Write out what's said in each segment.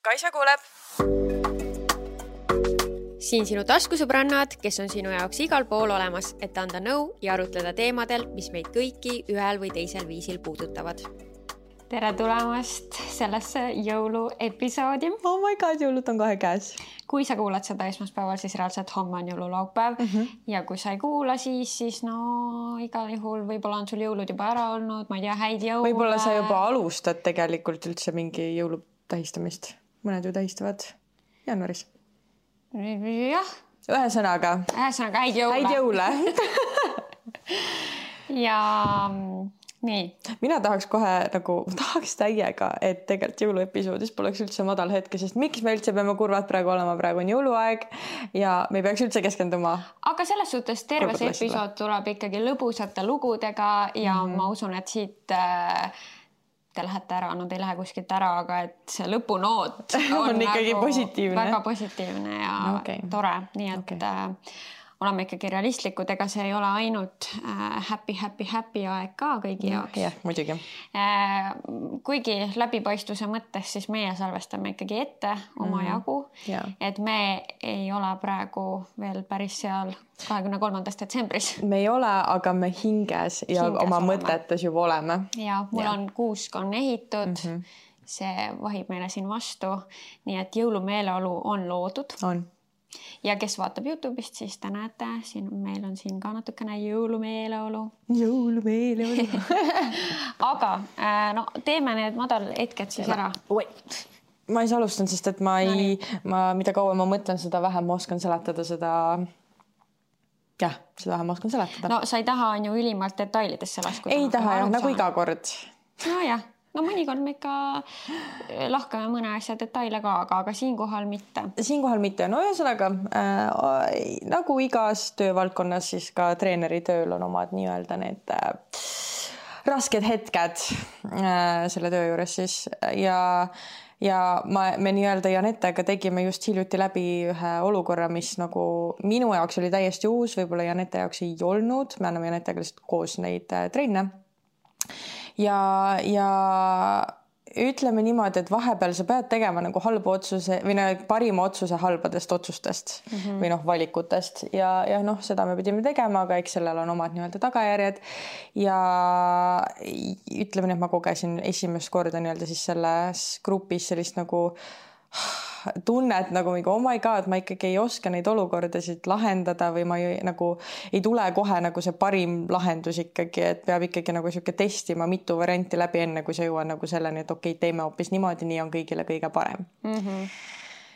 Kaisa kuuleb. Siin sinu taskusõbrannad, kes on sinu jaoks igal pool olemas, et anda nõu ja arutleda teemadel, mis meid kõiki ühel või teisel viisil puudutavad. Tere tulemast sellesse jõuluepisoodi. Oh my god, jõulud on kohe käes. Kui sa kuulad seda esmaspäeval, siis reaalselt homme on jõululaupäev. Ja kui sa ei kuula, siis no igal juhul võib-olla on sul jõulud juba ära olnud, ma ei tea, häid jõule. Võib-olla sa juba alustad tegelikult üldse mingi jõulu tähistamist. Mõned ju tähistavad jaanuaris. Jah. Ühesõnaga häid jõule. Häid jõule. Ja nii. Mina tahaks täiega, et tegelikult jõuluepisoodis poleks üldse madal hetke, sest miks me üldse peame kurvad praegu olema, praegu on jõuluaeg ja me ei peaks üldse keskenduma. Aga selles suhtes terves episood tuleb ikkagi lõbusate lugudega ja ma usun, et siit te lähete ära, no te ei lähe kuskilt ära, aga et see lõpunoot on ikkagi positiivne. Väga positiivne ja tore, nii et oleme ikkagi realistlikud, ega see ei ole ainult happy aeg ka kõigi jaoks. Jah, muidugi. Kuigi läbipaistvuse mõttes, siis meie salvestame ikkagi ette oma jagu, et me ei ole praegu veel päris seal 23. detsembris. Me ei ole, aga me hinges ja oma mõtetes juba oleme. Ja mul on kuusk on ehitud, see vahib meile siin vastu, nii et jõulumeeleolu on loodud. On. Ja kes vaatab YouTube'ist, siis te näete, meil on siin ka natukene jõulumeeleolu. Aga teeme need madalhetked siis ära. Ma ei saa alustan, sest et mida kauem ma mõtlen, seda vähem ma oskan seletada seda. Jah, seda vähem ma oskan seletada. No sa ei taha on ju ülimalt detailidesse laskuda. Ei taha jah, nagu iga kord. No jah. No mõnikord me ikka lahkame mõne asja detaile ka, aga siinkohal mitte. Siinkohal mitte. No ühesõnaga, nagu igas töövaldkonnas, siis ka treeneri tööl on omad nii-öelda need rasked hetked selle töö juures siis. Ja me nii-öelda Janettega tegime just hiljuti läbi ühe olukorra, mis nagu minu jaoks oli täiesti uus, võib-olla Janette jaoks ei olnud. Me anname Janettega lihtsalt koos neid treenne. Ja ütleme niimoodi, et vahepeal sa pead tegema nagu halba otsuse või parima otsuse halbadest otsustest või valikutest ja seda me pidime tegema, aga eks sellel on omad nii-öelda tagajärjed ja ütleme, et ma kogesin esimest korda nii-öelda siis selles grupis sellist nagu tunnet nagu oh my god, ma ikkagi ei oska neid olukordasid lahendada või ma ei tule kohe nagu see parim lahendus ikkagi, et peab ikkagi nagu siuke testima mitu varianti läbi enne, kui sa jõuad nagu selleni, et okei, teeme hoopis niimoodi, nii on kõigile kõige parem.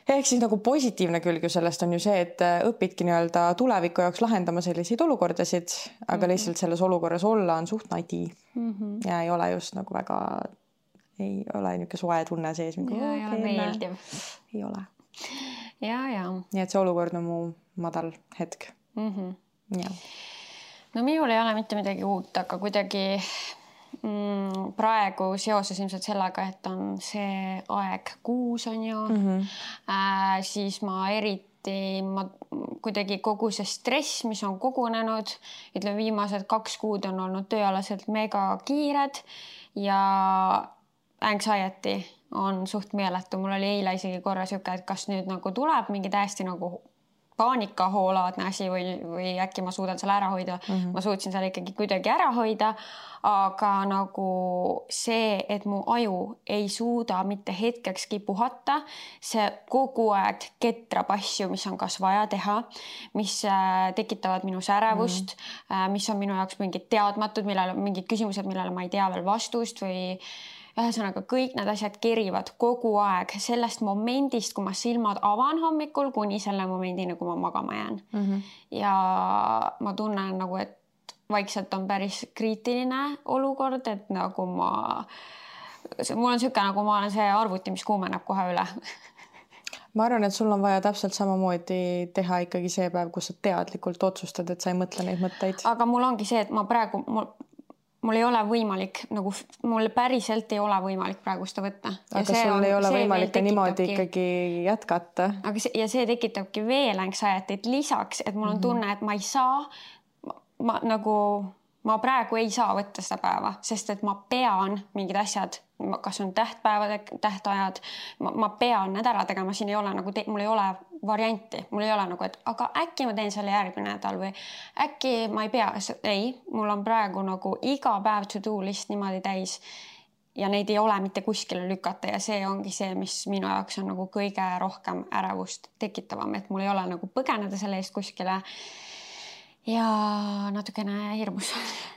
Ehk siis nagu positiivne külg ju sellest on ju see, et õpidki nii-öelda tuleviku jaoks lahendama selliseid olukordasid, aga lihtsalt selles olukorras olla on suht nadi ja ei ole just nagu väga ei ole niisugune soe tunne sees. Ei ole meeldiv. Ei ole. Ja. Nii et see olukord on mu madal hetk. Ja. No minul ei ole mitte midagi uut, aga kuidagi praegu seoses ilmselt sellega, et on see aeg kuus on ju, siis ma kuidagi kogu see stress, mis on kogunenud, ütleme viimased 2 kuud on olnud tööalaselt mega kiired ja anxiety on suht meeletu. Mul oli eile isegi korra siuke, et kas nüüd nagu tuleb mingi täiesti nagu paanikahoolaadne asi või äkki ma suudan selle ära hoida. Ma suutsin selle ikkagi kuidagi ära hoida, aga nagu see, et mu aju ei suuda mitte hetkekski puhata, see kogu aeg ketrab asju, mis on kas vaja teha, mis tekitavad minu särevust, mis on minu jaoks mingid teadmatud, mingid küsimused, millele ma ei tea veel vastust või ühesõnaga kõik need asjad kerivad kogu aeg sellest momendist, kui ma silmad avan hommikul, kuni selle momendini, kui ma magama jään. Ja ma tunnen nagu, et vaikselt on päris kriitiline olukord, et nagu mul on siuke, nagu ma olen see arvuti, mis kuumeneb kohe üle. Ma arvan, et sul on vaja täpselt samamoodi teha ikkagi see päev, kus sa teadlikult otsustad, et sa ei mõtle neid mõtteid. Aga mul ongi see, et ma praegu mul ei ole võimalik, nagu mul päriselt ei ole võimalik praegu seda võtta. Aga sul ei ole võimalik niimoodi ikkagi jätkata. Ja see tekitabki veel anxiety't lisaks, et mul on tunne, et ma ei saa, ma praegu ei saa võtta seda päeva, sest et ma pean mingid asjad, kas on tähtajad, ma pean need ära tegema, siin ei ole nagu, mul ei ole varianti, mul ei ole nagu, et aga äkki ma teen selle järgmine nädal või äkki ma ei pea, ei, mul on praegu nagu iga päev to-do list niimoodi täis ja neid ei ole mitte kuskile lükata ja see ongi see, mis minu jaoks on nagu kõige rohkem ärevust tekitavam, et mul ei ole nagu põgeneda selle eest kuskile ja natukene hirmus.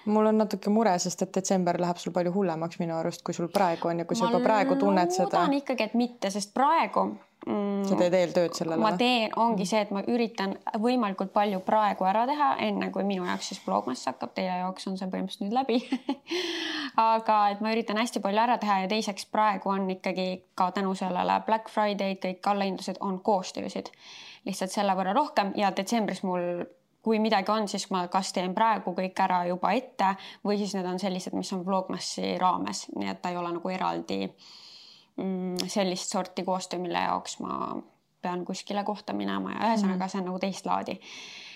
Mul on natuke mure, sest et detsember läheb sul palju hullemaks minu arust, kui sul praegu on ja kui sa juba praegu tunned seda. Ma loodan ikkagi, et mitte, sest praegu sa teed eeltööd sellele? Ma teen, ongi see, et ma üritan võimalikult palju praegu ära teha, enne kui minu jaoks siis Vlogmas hakkab, teie jaoks on see põhimõtteliselt nüüd läbi. Aga et ma üritan hästi palju ära teha ja teiseks praegu on ikkagi ka tänu sellele Black Friday, kõik allahindlused on koostöösid. Lihtsalt selle võrra rohkem ja detsembris mul kui midagi on, siis ma kas teen praegu kõik ära juba ette või siis need on sellised, mis on Vlogmassi raames, nii et ta ei ole nagu eraldi sellist sorti koostöö, mille jaoks ma pean kuskile kohta minema ja ühesõnaga see on nagu teist laadi.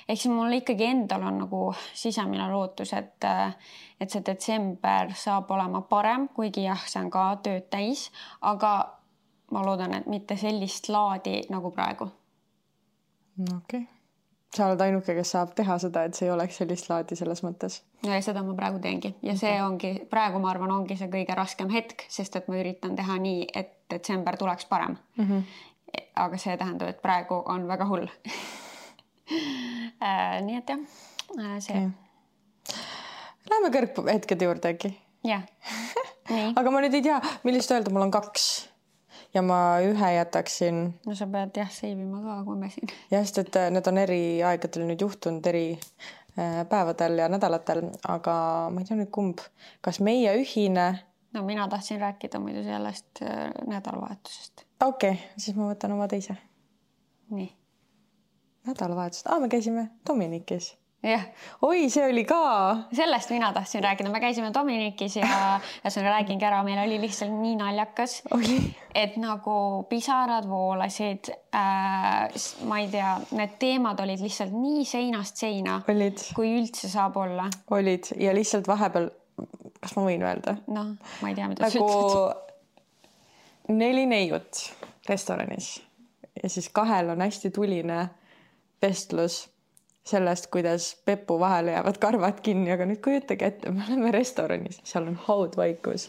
Ehk siis mul ikkagi endal on nagu sisemine lootus, et see detsember saab olema parem, kuigi jah, see on ka tööd täis, aga ma loodan, et mitte sellist laadi nagu praegu. Okei. Sa oled ainuke, kes saab teha seda, et see ei oleks sellist laadi selles mõttes. Ja seda ma praegu teengi ja see ongi, praegu ma arvan, ongi see kõige raskem hetk, sest et ma üritan teha nii, et detsember tuleks parem. Aga see tähendab, et praegu on väga hull. Nii et jah, see. Läheme kõrghetkede juurde äkki. Jah. Aga ma nüüd ei tea, millist öelda, mul on 2. Ja ma ühe jätaksin. No sa pead jah seivima ka, kui me siin. Jah, sest et need on eri aegadel nüüd juhtunud eri päevadel ja nädalatel, aga ma ei tea nüüd kumb. Kas meie ühine? No mina tahtsin rääkida muidu sellest nädalavahetusest. Okei, siis ma võtan oma teise. Nii. Nädalavahetusest. Me käisime Dominikis. Jah. Oi, see oli ka. Sellest mina tahtsin rääkida. Me käisime Dominikis ja see räägingi ära. Meil oli lihtsalt nii naljakas, et nagu pisarad voolasid. Ma ei tea, need teemad olid lihtsalt nii seinast seina, kui üldse saab olla. Olid ja lihtsalt vahepeal, kas ma võin öelda? No, ma ei tea, mida sa ütled. 4 neiut restoranis ja siis 2 on hästi tuline vestlus sellest, kuidas Peppu vahele jäävad karvad kinni, aga nüüd kujutage ette, me oleme restoranis, seal on haudvaikus.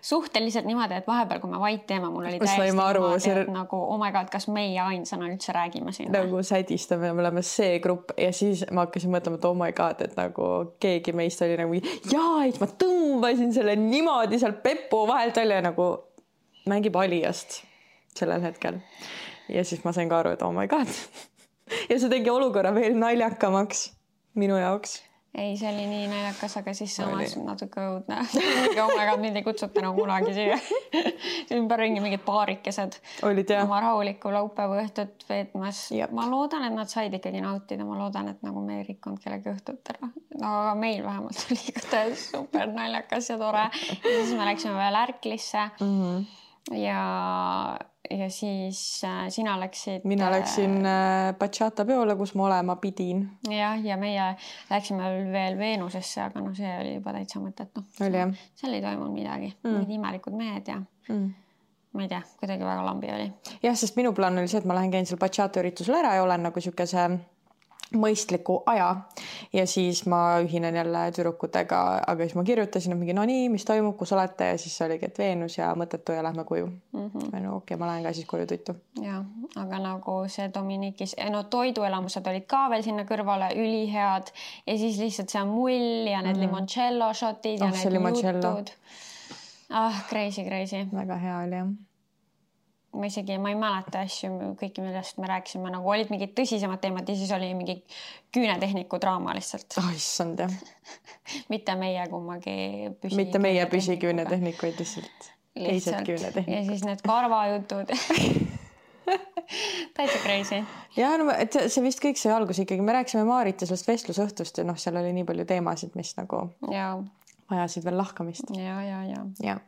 Suhteliselt niimoodi, et vahepeal, kui me vait teeme, mul oli täiesti niimoodi, et nagu, oh my god, kas meie ainsana üldse räägime siin? Nagu sädistame, me oleme see grupp ja siis ma hakkasin mõtlema, et oh my god, et nagu keegi meist oli nagu, et ma tõmbasin selle niimoodi seal Peppu vahelt välja nagu mängib alijast sellel hetkel. Ja siis ma sain ka aru, et oh my god. Ja see tegi olukorra veel naljakamaks minu jaoks. Ei, see oli nii naljakas, aga siis samas natuke õudne. Oh my god, mind ei kutsuta nagu kunagi siia. Ümber ringi mingid paarikesed. Olid jah. Oma rahulikku laupäeva õhtut veetmas. Ma loodan, et nad said ikkagi nautida. Ma loodan, et nagu me ei rikkunud kellegi õhtut ära. No, aga meil vähemalt oli ikka super naljakas ja tore. Ja siis me läksime veel Ärklisse. Ja siis sina läksid... Mina läksin bachata peole, kus ma olema pidin. Ja meie läksime veel Veenusesse, aga no see oli juba täitsa mõtet. Oli jah. Seal ei toimunud midagi. Need imelikud mehed ja ma ei tea, kuidagi väga lambi oli. Jah, sest minu plaan oli see, et ma lähen käin seal bachata üritusel ära ja olen nagu siukese mõistliku aja ja siis ma ühinen jälle tüdrukutega, aga siis ma kirjutasin, et mingi no nii, mis toimub, kus olete ja siis oligi, et Veenus ja mõttetu ja lähme koju. Okei, ma lähen ka siis koju tuitu. Ja, aga nagu see Dominikis, no toiduelamused olid ka veel sinna kõrvale ülihead ja siis lihtsalt see mull ja need limoncello shotid ja need jutud. Crazy. Väga hea oli jah. Ma ei mäleta asju, kõiki millest me rääkisime, nagu olid mingid tõsisemad teemad ja siis oli mingi küünetehniku draama lihtsalt. Issand jah. Mitte meie kummagi Mitte meie püsiküünetehnikuid lihtsalt. Teised küünetehnikud. Ja siis need karvajutud. Täitsa crazy. Ja no, see vist kõik see algus ikkagi. Me rääkisime Maarit ja sellest vestlusõhtust ja seal oli nii palju teemasid, mis nagu vajasid veel lahkamist. Ja.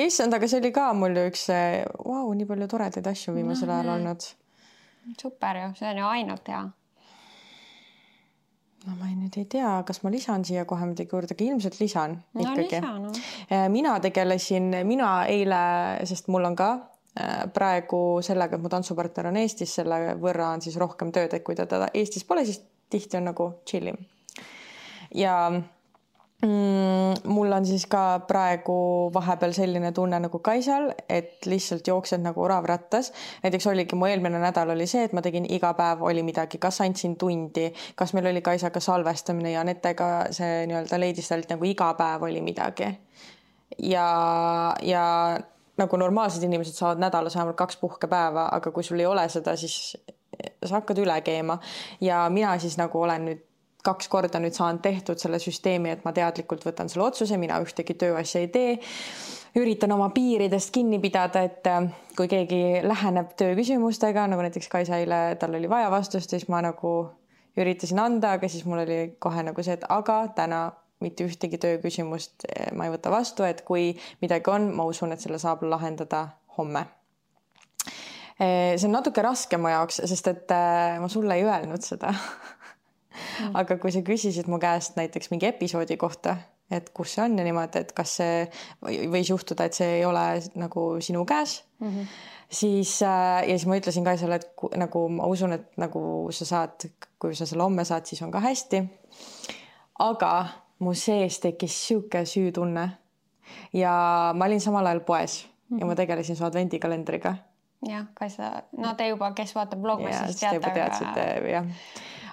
Issand, aga see oli ka mul üks nii palju toredaid asju viimasel ajal olnud. Super ju, see on ju ainult hea. No ma nüüd ei tea, kas ma lisan siia kohe midagi juurde, aga ilmselt lisan ikkagi. No. Mina eile, sest mul on ka praegu sellega, et mu tantsupartner on Eestis, selle võrra on siis rohkem tööd, et kui ta Eestis pole, siis tihti on nagu chillim. Ja mul on siis ka praegu vahepeal selline tunne nagu Kaisal, et lihtsalt jooksed nagu orav rattas. Näiteks oligi mu eelmine nädal oli see, et ma tegin iga päev oli midagi, kas andsin tundi, kas meil oli Kaisaga salvestamine ja Anetega see nii-öelda leidistalt nagu iga päev oli midagi. Ja nagu normaalsed inimesed saavad nädalas vähemalt 2 puhkepäeva, aga kui sul ei ole seda, siis sa hakkad üle keema. Ja mina siis nagu olen nüüd 2 korda nüüd saan tehtud selle süsteemi, et ma teadlikult võtan selle otsuse, mina ühtegi tööasja ei tee. Üritan oma piiridest kinni pidada, et kui keegi läheneb tööküsimustega, nagu näiteks Kaisaile, tal oli vaja vastust, siis ma nagu üritasin anda, aga siis mul oli kohe nagu see, et aga täna mitte ühtegi tööküsimust ma ei võta vastu, et kui midagi on, ma usun, et selle saab lahendada homme. See on natuke raske mu jaoks, sest et ma sulle ei öelnud seda. Aga kui sa küsisid mu käest näiteks mingi episoodi kohta, et kus see on ja niimoodi, et kas see võis juhtuda, et see ei ole nagu sinu käes, siis ma ütlesin Kaisale, et nagu ma usun, et nagu sa saad, kui sa selle homme saad, siis on ka hästi. Aga mu sees tekkis siuke süütunne ja ma olin samal ajal poes ja ma tegelesin su advendikalendriga. Jah, Kaisa, no te juba, kes vaatab vlogmas, siis teate. Teadsite, jah.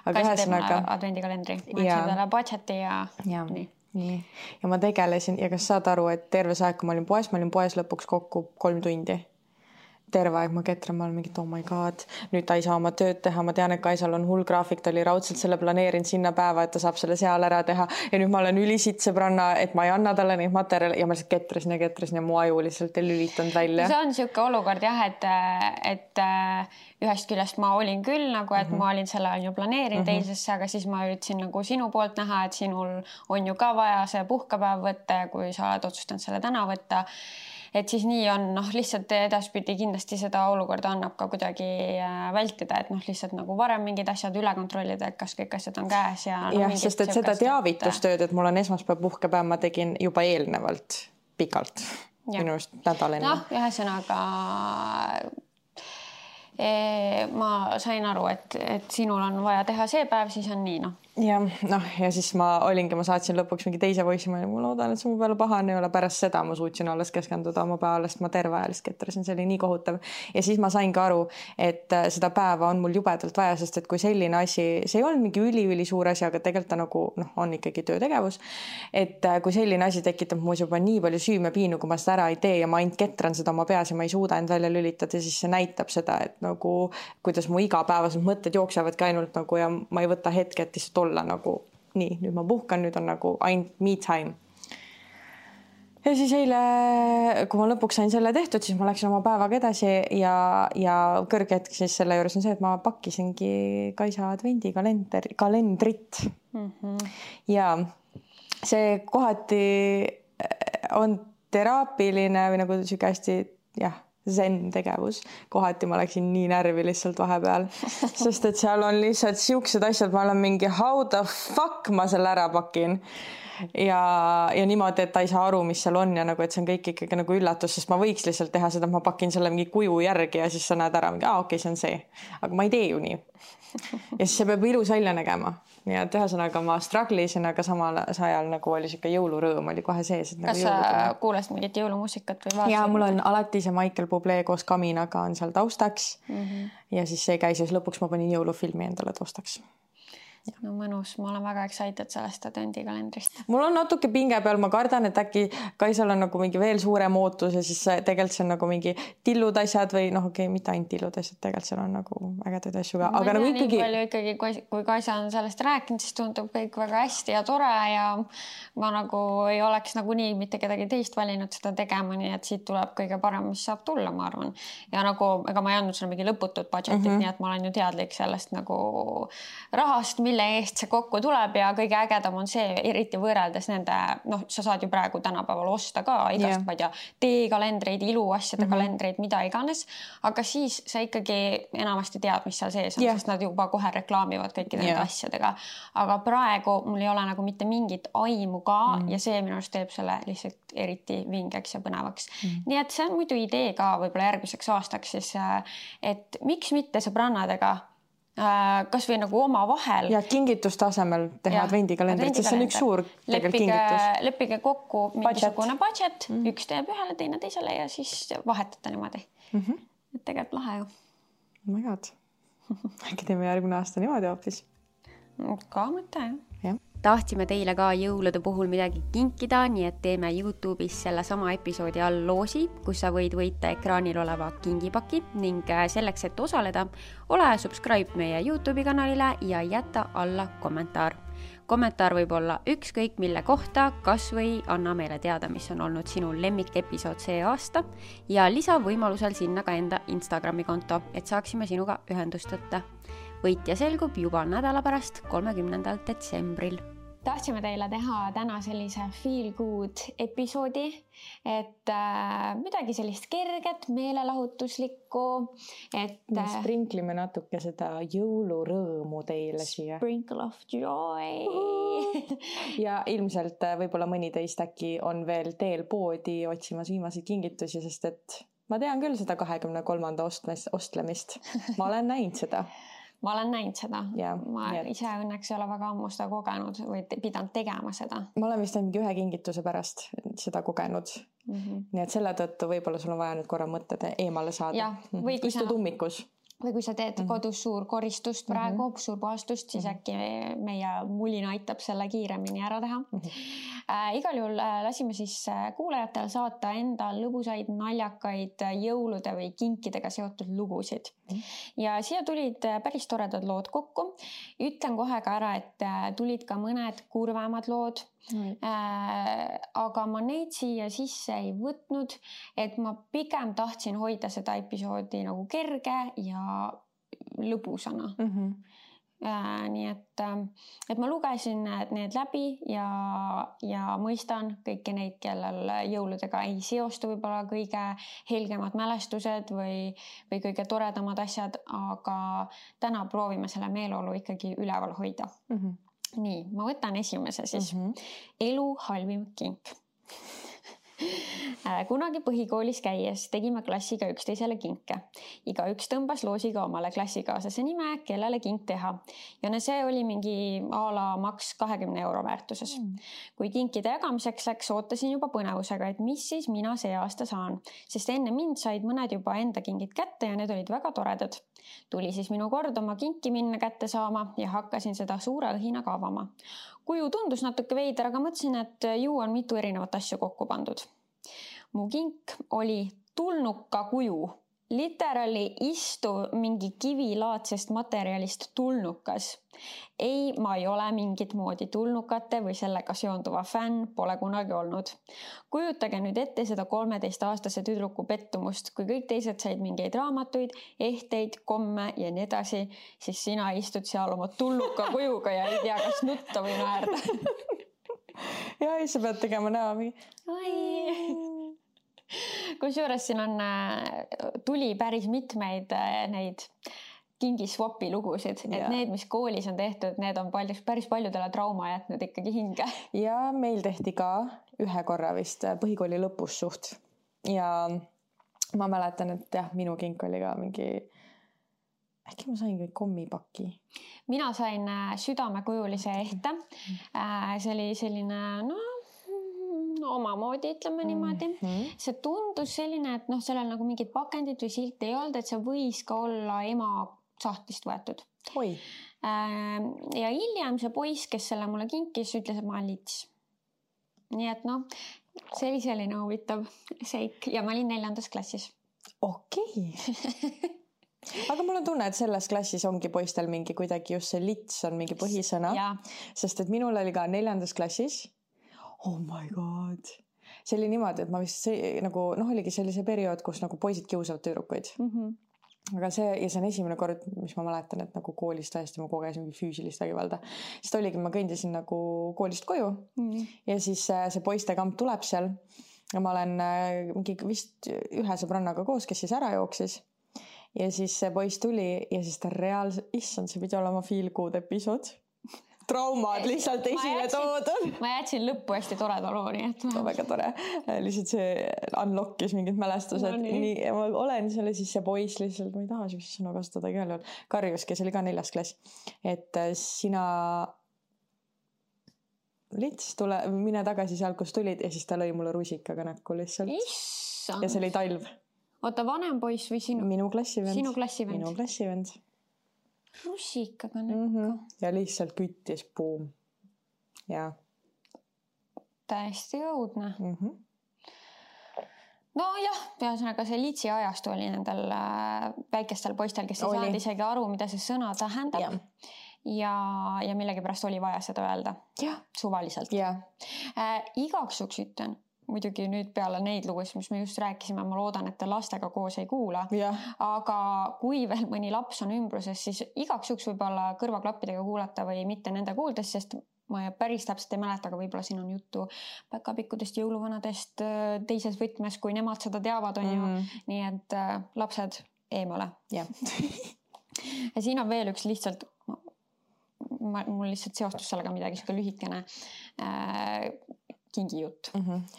Kaisa teeb advendikalendri. Ma ütlesin talle budgeti ja nii. Ja ma tegelesin ja kas saad aru, et terve see aeg, kui ma olin poes lõpuks kokku 3 tundi. Terve aeg ma ketran, ma olen mingit, oh my god, nüüd ta ei saa oma tööd teha. Ma tean, et Kaisal on hull graafik, ta oli raudselt selle planeerinud sinna päeva, et ta saab selle seal ära teha. Ja nüüd ma olen ülisitt sõbranna, et ma ei anna talle neid materjale ja ma lihtsalt ketrasin ja mu aju lihtsalt ei lülitanud välja. See on siuke olukord jah, et ühest küljest ma olin küll nagu, et ma olin selle on ju planeerinud eilsesse, aga siis ma üritasin nagu sinu poolt näha, et sinul on ju ka vaja see puhkepäev võtta ja kui sa oled otsustanud selle täna võtta, et siis nii on, lihtsalt edaspidi kindlasti seda olukorda annab ka kuidagi vältida, et lihtsalt nagu varem mingid asjad üle kontrollida, et kas kõik asjad on käes ja sest et seda teavitustööd, et mul on esmaspäev puhkepäev, ma tegin juba eelnevalt pikalt minu just nädal enne. Ühesõnaga ma sain aru, et sinul on vaja teha see päev, siis on nii, Ja siis ma saatsin lõpuks mingi teise voice, ma loodan, et see mu peale pahane ei ole. Pärast seda ma suutsin alles keskenduda oma päevalest, ma terve ajalist ketrasin, see oli nii kohutav. Ja siis ma sain ka aru, et seda päeva on mul jubedalt vaja, sest et kui selline asi, see ei olnud mingi üli suur asi, aga tegelikult ta nagu on ikkagi töötegevus. Et kui selline asi tekitab muus juba nii palju süümepiinu, kui ma seda ära ei tee ja ma ainult ketran seda oma peas ja ma ei suuda end välja lülitada, siis see näitab seda, et nagu kuidas mu igapäevased mõtted jooksevadki ainult nagu ja ma ei võta hetket lihtsalt olla nagu nii, nüüd ma puhkan, nüüd on nagu ainult me time. Ja siis eile, kui ma lõpuks sain selle tehtud, siis ma läksin oma päevaga edasi ja kõrge hetk siis selle juures on see, et ma pakkisingi Kaisa advendikalendrit. Ja see kohati on teraapiline või nagu siuke hästi, zen tegevus. Kohati ma läksin nii närvi lihtsalt vahepeal, sest et seal on lihtsalt siuksed asjad, ma olen mingi how the fuck ma selle ära pakin. Ja niimoodi, et ta ei saa aru, mis seal on ja nagu, et see on kõik ikkagi nagu üllatus, sest ma võiks lihtsalt teha seda, ma pakin selle mingi kuju järgi ja siis sa näed ära, okei, see on see. Aga ma ei tee ju nii. Ja siis see peab ilus välja nägema. Nii et ühesõnaga ma struggle'isin, aga samal ajal nagu oli siuke jõulurõõm oli kohe sees. Kas sa kuulasid mingit jõulumuusikat või vaatasid? Ja mul on alati see Michael Bublé koos Kaminaga on seal taustaks ja siis see käis ja lõpuks ma panin jõulufilmi endale taustaks. No mõnus, ma olen väga excited sellest advendikalendrist. Mul on natuke pinge peal, ma kardan, et äkki Kaisal on nagu mingi veel suurem ootus ja siis tegelikult see on nagu mingi tillud asjad või mitte ainult tillud asjad, tegelikult seal on nagu ägedaid asju ka. Aga nagu ikkagi, kui Kaisa on sellest rääkinud, siis tundub kõik väga hästi ja tore ja ma nagu ei oleks nagu nii mitte kedagi teist valinud seda tegema, nii et siit tuleb kõige parem, mis saab tulla, ma arvan. Ja nagu, ega ma ei andnud sulle mingi lõputut budgetit, nii et ma olen ju teadlik sellest nagu rahast, mille eest see kokku tuleb ja kõige ägedam on see, eriti võrreldes nende, noh, sa saad ju praegu tänapäeval osta ka igast, ma ei tea, teekalendreid, iluasjade kalendreid, mida iganes, aga siis sa ikkagi enamasti tead, mis seal sees on, sest nad juba kohe reklaamivad kõikide nende asjadega. Aga praegu mul ei ole nagu mitte mingit aimu ka ja see minu arust teeb selle lihtsalt eriti vingeks ja põnevaks. Nii et see on muidu idee ka võib-olla järgmiseks aastaks siis, et miks mitte sõbrannadega kas või nagu oma vahel. Ja kingitustasemel teha advendikalendrit, sest see on üks suur kingitus. Leppige kokku mingisugune budget, üks teeb ühele, teine teisele ja siis vahetada niimoodi. Et tegelikult lahe ju. Oh my god. Äkki teeme järgmine aasta niimoodi hoopis? Ka mõte, jah. Tahtsime teile ka jõulude puhul midagi kinkida, nii et teeme YouTube'is selle sama episoodi all loosi, kus sa võid võita ekraanil oleva kingipaki ning selleks, et osaleda, ole subscribe meie YouTube'i kanalile ja jäta alla kommentaar. Kommentaar võib olla ükskõik mille kohta, kas või anna meile teada, mis on olnud sinu lemmikepisood see aasta ja lisa võimalusel sinna ka enda Instagrami konto, et saaksime sinuga ühendust võtta. Võitja selgub juba nädala pärast 30. detsembril. Tahtsime teile teha täna sellise feel good episoodi, et midagi sellist kerget, meelelahutuslikku, et sprinklime natuke seda jõulurõõmu teile siia. Sprinkle of joy. Ja ilmselt võib-olla mõni teist äkki on veel teel poodi otsimas viimaseid kingitusi, sest et ma tean küll seda 23. ostlemist. Ma olen näinud seda. Ma olen näinud seda. Ma ise õnneks ei ole väga ammu seda kogenud või pidanud tegema seda. Ma olen vist mingi ühe kingituse pärast seda kogenud. Nii et selle tõttu võib-olla sul on vaja nüüd korra mõtted eemale saada. Istu tummikus. Või kui sa teed kodus suur koristust praegu, suur puhastust, siis äkki meie mulin aitab selle kiiremini ära teha. Igal juhul lasime siis kuulajatele saata enda lõbusaid, naljakaid jõulude või kinkidega seotud lugusid. Ja siia tulid päris toredad lood kokku. Ütlen kohe ka ära, et tulid ka mõned kurvemad lood. Aga ma neid siia sisse ei võtnud, et ma pigem tahtsin hoida seda episoodi nagu kerge ja lõbusana. Nii et ma lugesin need läbi ja mõistan kõiki neid, kellel jõuludega ei seostu võib-olla kõige helgemad mälestused või kõige toredamad asjad, aga täna proovime selle meeleolu ikkagi üleval hoida. Nii, ma võtan esimese siis. Elu halvim kink. Kunagi põhikoolis käies tegime klassiga üksteisele kinke. Igaüks tõmbas loosiga omale klassikaaslase nime, kellele kink teha. Ja see oli mingi a la maks 20 € väärtuses. Kui kinkide jagamiseks läks, ootasin juba põnevusega, et mis siis mina see aasta saan. Sest enne mind said mõned juba enda kingid kätte ja need olid väga toredad. Tuli siis minu kord oma kinki minna kätte saama ja hakkasin seda suure õhinaga avama. Kuju tundus natuke veider, aga mõtlesin, et ju on mitu erinevat asju kokku pandud. Mu kink oli tulnuka kuju. Literally istuv mingi kivilaadsest materjalist tulnukas. Ei, ma ei ole mingit moodi tulnukate või sellega seonduva fänn, pole kunagi olnud. Kujutage nüüd ette seda 13-aastase tüdruku pettumust, kui kõik teised said mingeid raamatuid, ehteid, komme ja nii edasi, siis sina istud seal oma tulnuka kujuga ja ei tea, kas nutta või naerda. Ja sa pead tegema näo mingi. Kusjuures siin on tuli päris mitmeid neid kingiswapi lugusid, et need, mis koolis on tehtud, need on päris paljudele trauma jätnud ikkagi hinge. Ja meil tehti ka ühe korra vist põhikooli lõpus suht. Ja ma mäletan, et jah, minu kink oli ka mingi, äkki ma sain kõik kommipaki. Mina sain südamekujulise ehte. See oli selline, omamoodi, ütleme niimoodi. See tundus selline, et sellel nagu mingit pakendit või silt ei olnud, et see võis ka olla ema sahtlist võetud. Oi. Ja hiljem see poiss, kes selle mulle kinkis, ütles, et ma olen lits. Nii et see oli selline huvitav seik ja ma olin 4. klassis. Okei. Aga mul on tunne, et selles klassis ongi poistel mingi kuidagi just see lits on mingi põhisõna, sest et minul oli ka 4. klassis. Oh my god. See oli niimoodi, et ma vist oligi sellise periood, kus nagu poisid kiusavad tüdrukuid. aga see on esimene kord, mis ma mäletan, et nagu koolis täiesti ma kogesin mingi füüsilist vägivalda. Siis ta oligi, ma kõndisin nagu koolist koju ja siis see poistekamp tuleb seal ja ma olen mingi vist ühe sõbrannaga koos, kes siis ära jooksis. Ja siis see poiss tuli ja siis ta reaalselt, issand, see pidi olema feel good episood. Traumad lihtsalt esile toodud. Ma jätsin lõppu hästi toreda loo, nii et... Väga tore. Lihtsalt see unlockis mingid mälestused. No, nii, ma olen selle siis see poiss lihtsalt, ma ei taha sellist sõna kasutada igal juhul. Karjus, kes oli ka 4. klass. Et sina lihtsalt mine tagasi seal, kus tulid ja siis ta lõi mulle rusikaga näkku lihtsalt. Issand. Ja see oli talv. Oota, vanem poiss või sinu? Minu klassivend. Sinu klassivend. Minu klassivend. Rusikaga näkku. Ja lihtsalt küttis, boom. Ja. Täiesti õudne. No jah, ühesõnaga see litsi ajastu oli nendel väikestel poistel, kes ei saanud isegi aru, mida see sõna tähendab. Ja millegi pärast oli vaja seda öelda. Suvaliselt. Igaks juks ütlen, muidugi nüüd peale neid lugusid, mis me just rääkisime, ma loodan, et te lastega koos ei kuula. Aga kui veel mõni laps on ümbruses, siis igaks juks võib-olla kõrvaklappidega kuulata või mitte nende kuuldes, sest ma päris täpselt ei mäleta, aga võib-olla siin on juttu päkapikkudest, jõuluvanadest teises võtmes, kui nemad seda teavad, on ju. Nii et lapsed eemale. Ja siin on veel üks lihtsalt, mul lihtsalt seostus sellega midagi siuke lühikene kingijutt.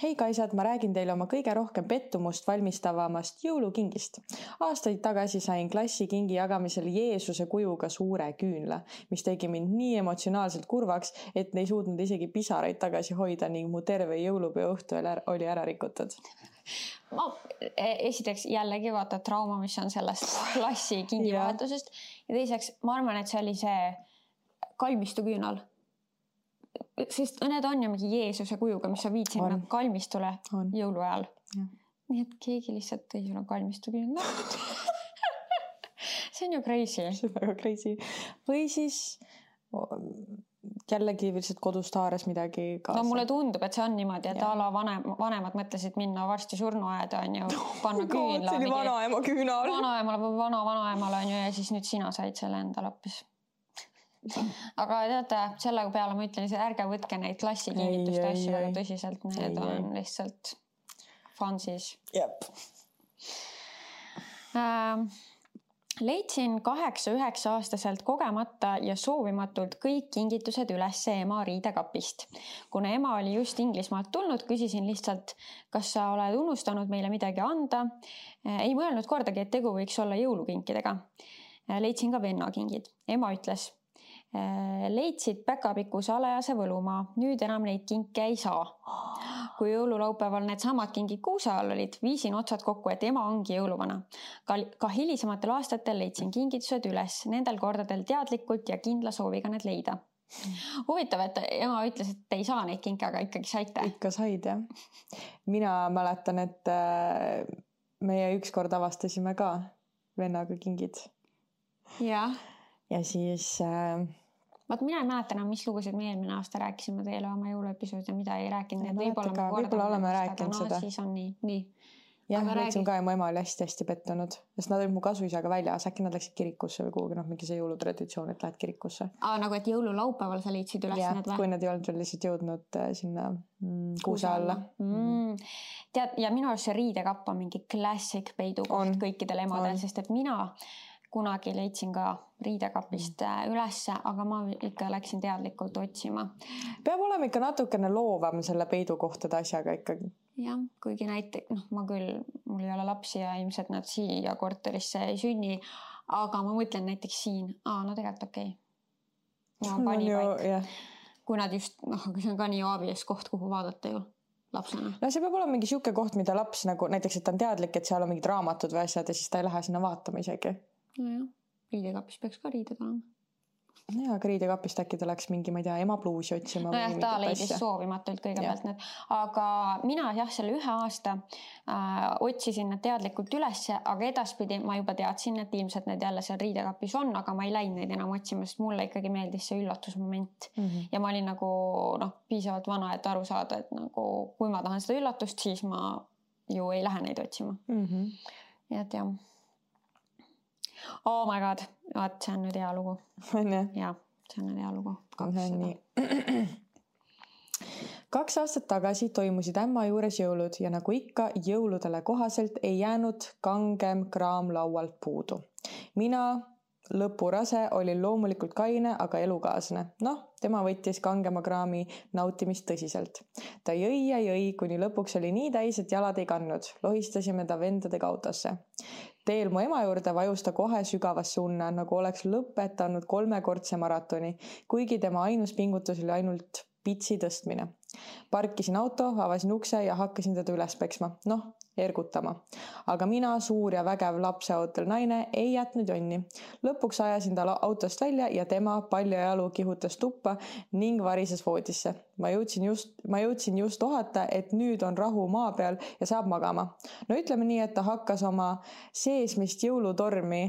Hei kaisad, ma räägin teile oma kõige rohkem pettumust valmistavamast jõulukingist. Aastaid tagasi sain klassi kingi jagamisel Jeesuse kujuga suure küünla, mis tegi mind nii emotsionaalselt kurvaks, et ei suutnud isegi pisaraid tagasi hoida ning mu terve jõulupeo õhtu oli ära rikutud. Ma esiteks jällegi vaata trauma, mis on sellest klassi kingivahetusest ja teiseks ma arvan, et see oli see kalmistu küünal. Sest need on ju mingi Jeesuse kujuga, mis sa viid sinna kalmistule jõuluajal. Nii et keegi lihtsalt tõi sulle kalmistu küünla. See on ju crazy. See on väga crazy. Või siis jällegi lihtsalt kodust haares midagi kaasa. No mulle tundub, et see on niimoodi, et ala vanemad mõtlesid minna varsti surnuaeda, on ju, panna küünla. See oli vanaema küünal. Vanaemale või vanaemale on ju ja siis nüüd sina said selle endale hoopis. Aga teate, selle peale ma ütlen, ärge võtke neid klassikingituste asju väga tõsiselt, need on lihtsalt fansis. Leidsin 8-9 aastaselt kogemata ja soovimatult kõik kingitused üles ema riidekapist. Kuna ema oli just Inglismaalt tulnud, küsisin lihtsalt, kas sa oled unustanud meile midagi anda. Ei mõelnud kordagi, et tegu võiks olla jõulukinkidega. Leidsin ka vennakingid. Ema ütles, leidsid päkapiku salajase võlumaa, nüüd enam neid kinke ei saa. Kui jõululaupäeval need samad kingid kuuse all olid, viisin otsad kokku, et ema ongi jõuluvana. Ka hilisematel aastatel leidsin kingitused üles, nendel kordadel teadlikult ja kindla sooviga need leida. Huvitav, et ema ütles, et ei saa neid kinke, aga ikkagi saite. Ikka said, jah. Mina mäletan, et meie ükskord avastasime ka vennaga kingid. Jah. Ja siis... Vaat mina ei mäleta enam, mis lugusid me eelmine aasta rääkisime teile oma jõuluepisoodi ja mida ei rääkinud. Võib-olla oleme rääkinud seda. Siis on nii. Jah, mõtlesin ka ja mu ema oli hästi petunud. Sest nad olid mu kasuisaga väljas. Äkki nad läksid kirikusse või kuhugi, mingi see jõulutraditsioon, et lähed kirikusse. Nagu et jõululaupäeval sa leidsid üles need või? Kui nad ei olnud lihtsalt jõudnud sinna kuuse alla. Tead, ja minu arust see riidekapp on mingi klassik peidukoht kõikidel emadel, sest et mina kunagi leidsin ka riidekapist ülesse, aga ma ikka läksin teadlikult otsima. Peab olema ikka natukene loovam selle peidukohtade asjaga ikkagi. Jah, kuigi näiteks, mul ei ole lapsi ja ilmselt nad siia korterisse ei sünni, aga ma mõtlen näiteks siin, no tegelikult okei. Ma pani paik. Kui nad just, kui see on ka nii aabies koht, kuhu vaadata ju lapsena. No see peab olema mingi siuke koht, mida laps nagu näiteks, et ta on teadlik, et seal on mingid raamatud või asjad ja siis ta ei lähe sinna vaatama isegi. Nojah, riidekapis peaks ka riided olema. Ja, aga riidekapist äkki ta läks mingi, ma ei tea, ema pluusi otsima. Nojah, ta leidis soovimatult kõigepealt need. Aga mina selle 1 aasta otsisin need teadlikult ülesse, aga edaspidi ma juba teadsin, et ilmselt need jälle seal riidekapis on, aga ma ei läinud neid enam otsima, sest mulle ikkagi meeldis see üllatusmoment. Ja ma olin nagu piisavalt vana, et aru saada, et nagu, kui ma tahan seda üllatust, siis ma ju ei lähe neid otsima. Ja et jah. Oh my god, vaat see on nüüd hea lugu. Jaa, see on nüüd hea lugu. Nii. 2 aastat tagasi toimusid ämma juures jõulud ja nagu ikka jõuludele kohaselt ei jäänud kangem kraam laualt puudu. Mina, lõpurase, olin loomulikult kaine, aga elukaaslane. Tema võttis kangema kraami nautimist tõsiselt. Ta jõi ja jõi, kuni lõpuks oli nii täis, et jalad ei kandnud. Lohistasime ta vendadega autosse. Teel mu ema juurde vajus ta kohe sügavasse unne, nagu oleks lõpetanud 3-kordse maratoni, kuigi tema ainus pingutus oli ainult pitsi tõstmine. Parkisin auto, avasin ukse ja hakkasin teda üles peksma. Ergutama. Aga mina, suur ja vägev lapseootel naine, ei jätnud jonni. Lõpuks ajasin ta autost välja ja tema paljajalu kihutas tuppa ning varises voodisse. Ma jõudsin just ohata, et nüüd on rahu maa peal ja saab magama. Ütleme nii, et ta hakkas oma seesmist jõulutormi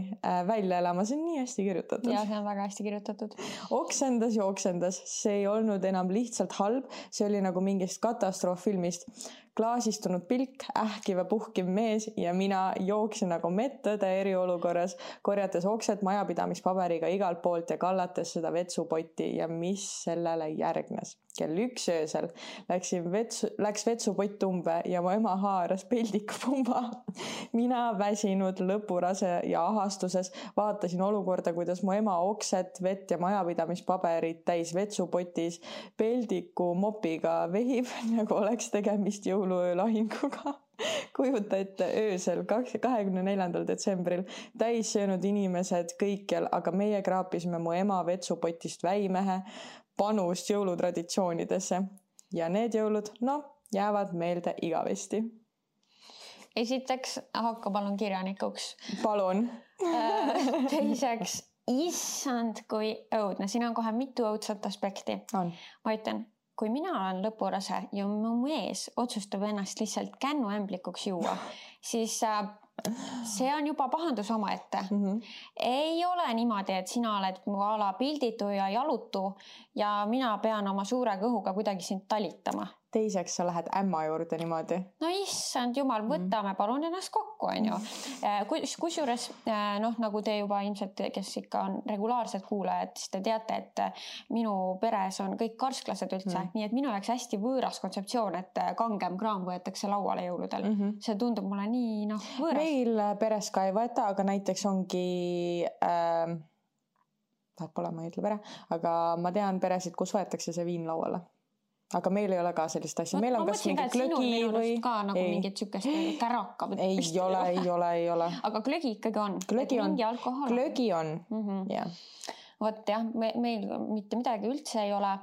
välja elama. See on nii hästi kirjutatud. Ja see on väga hästi kirjutatud. Oksendas. See ei olnud enam lihtsalt halb. See oli nagu mingist katastrooffilmist. Klaasistunud pilk, ähkiv ja puhkiv mees ja mina jooksin nagu medtõde eriolukorras, korjates oksed majapidamispaberiga igalt poolt ja kallates seda vetsupotti ja mis sellele järgnes. Kell 1 öösel läks vetsupott umbe ja mu ema haaras peldikupumba. Mina väsinud lõpurase ja ahastuses vaatasin olukorda, kuidas mu ema oksed, vett ja majapidamispaberid täis vetsupotis peldiku mopiga vehib, nagu oleks tegemist jõuluöö lahinguga. Kujuta ette öösel 24. detsembril täis söönud inimesed kõikjal, aga meie kraapisime mu ema vetsupotist väimehe panust jõulutraditsioonidesse. Ja need jõulud, jäävad meelde igavesti. Esiteks, hakka palun kirjanikuks. Palun. Teiseks, issand, kui õudne. Siin on kohe mitu õudset aspekti. Ma ütlen, kui mina olen lõpurase ja mu mees otsustab ennast lihtsalt kännuämblikuks juua, siis see on juba pahandus omaette. Ei ole niimoodi, et sina oled mu ala pilditu ja jalutu ja mina pean oma suure kõhuga kuidagi sind talitama. Teiseks sa lähed ämma juurde niimoodi. Issand jumal, võtame palun ennast kokku, on ju. Kusjuures, nagu te juba ilmselt, kes ikka on regulaarsed kuulajad, siis te teate, et minu peres on kõik karsklased üldse, nii et minu jaoks hästi võõras kontseptsioon, et kangem kraam võetakse lauale jõuludel. See tundub mulle nii võõras. Meil peres ka ei võeta, aga näiteks ongi pole, ma ei ütle pere, aga ma tean peresid, kus võetakse see viin lauale. Aga meil ei ole ka sellist asja. Meil on kas mingi glögi või... ka nagu mingit sükest käraka. Ei ole. Aga glögi ikkagi on. Glögi on, jah. Vot jah, meil mitte midagi üldse ei ole.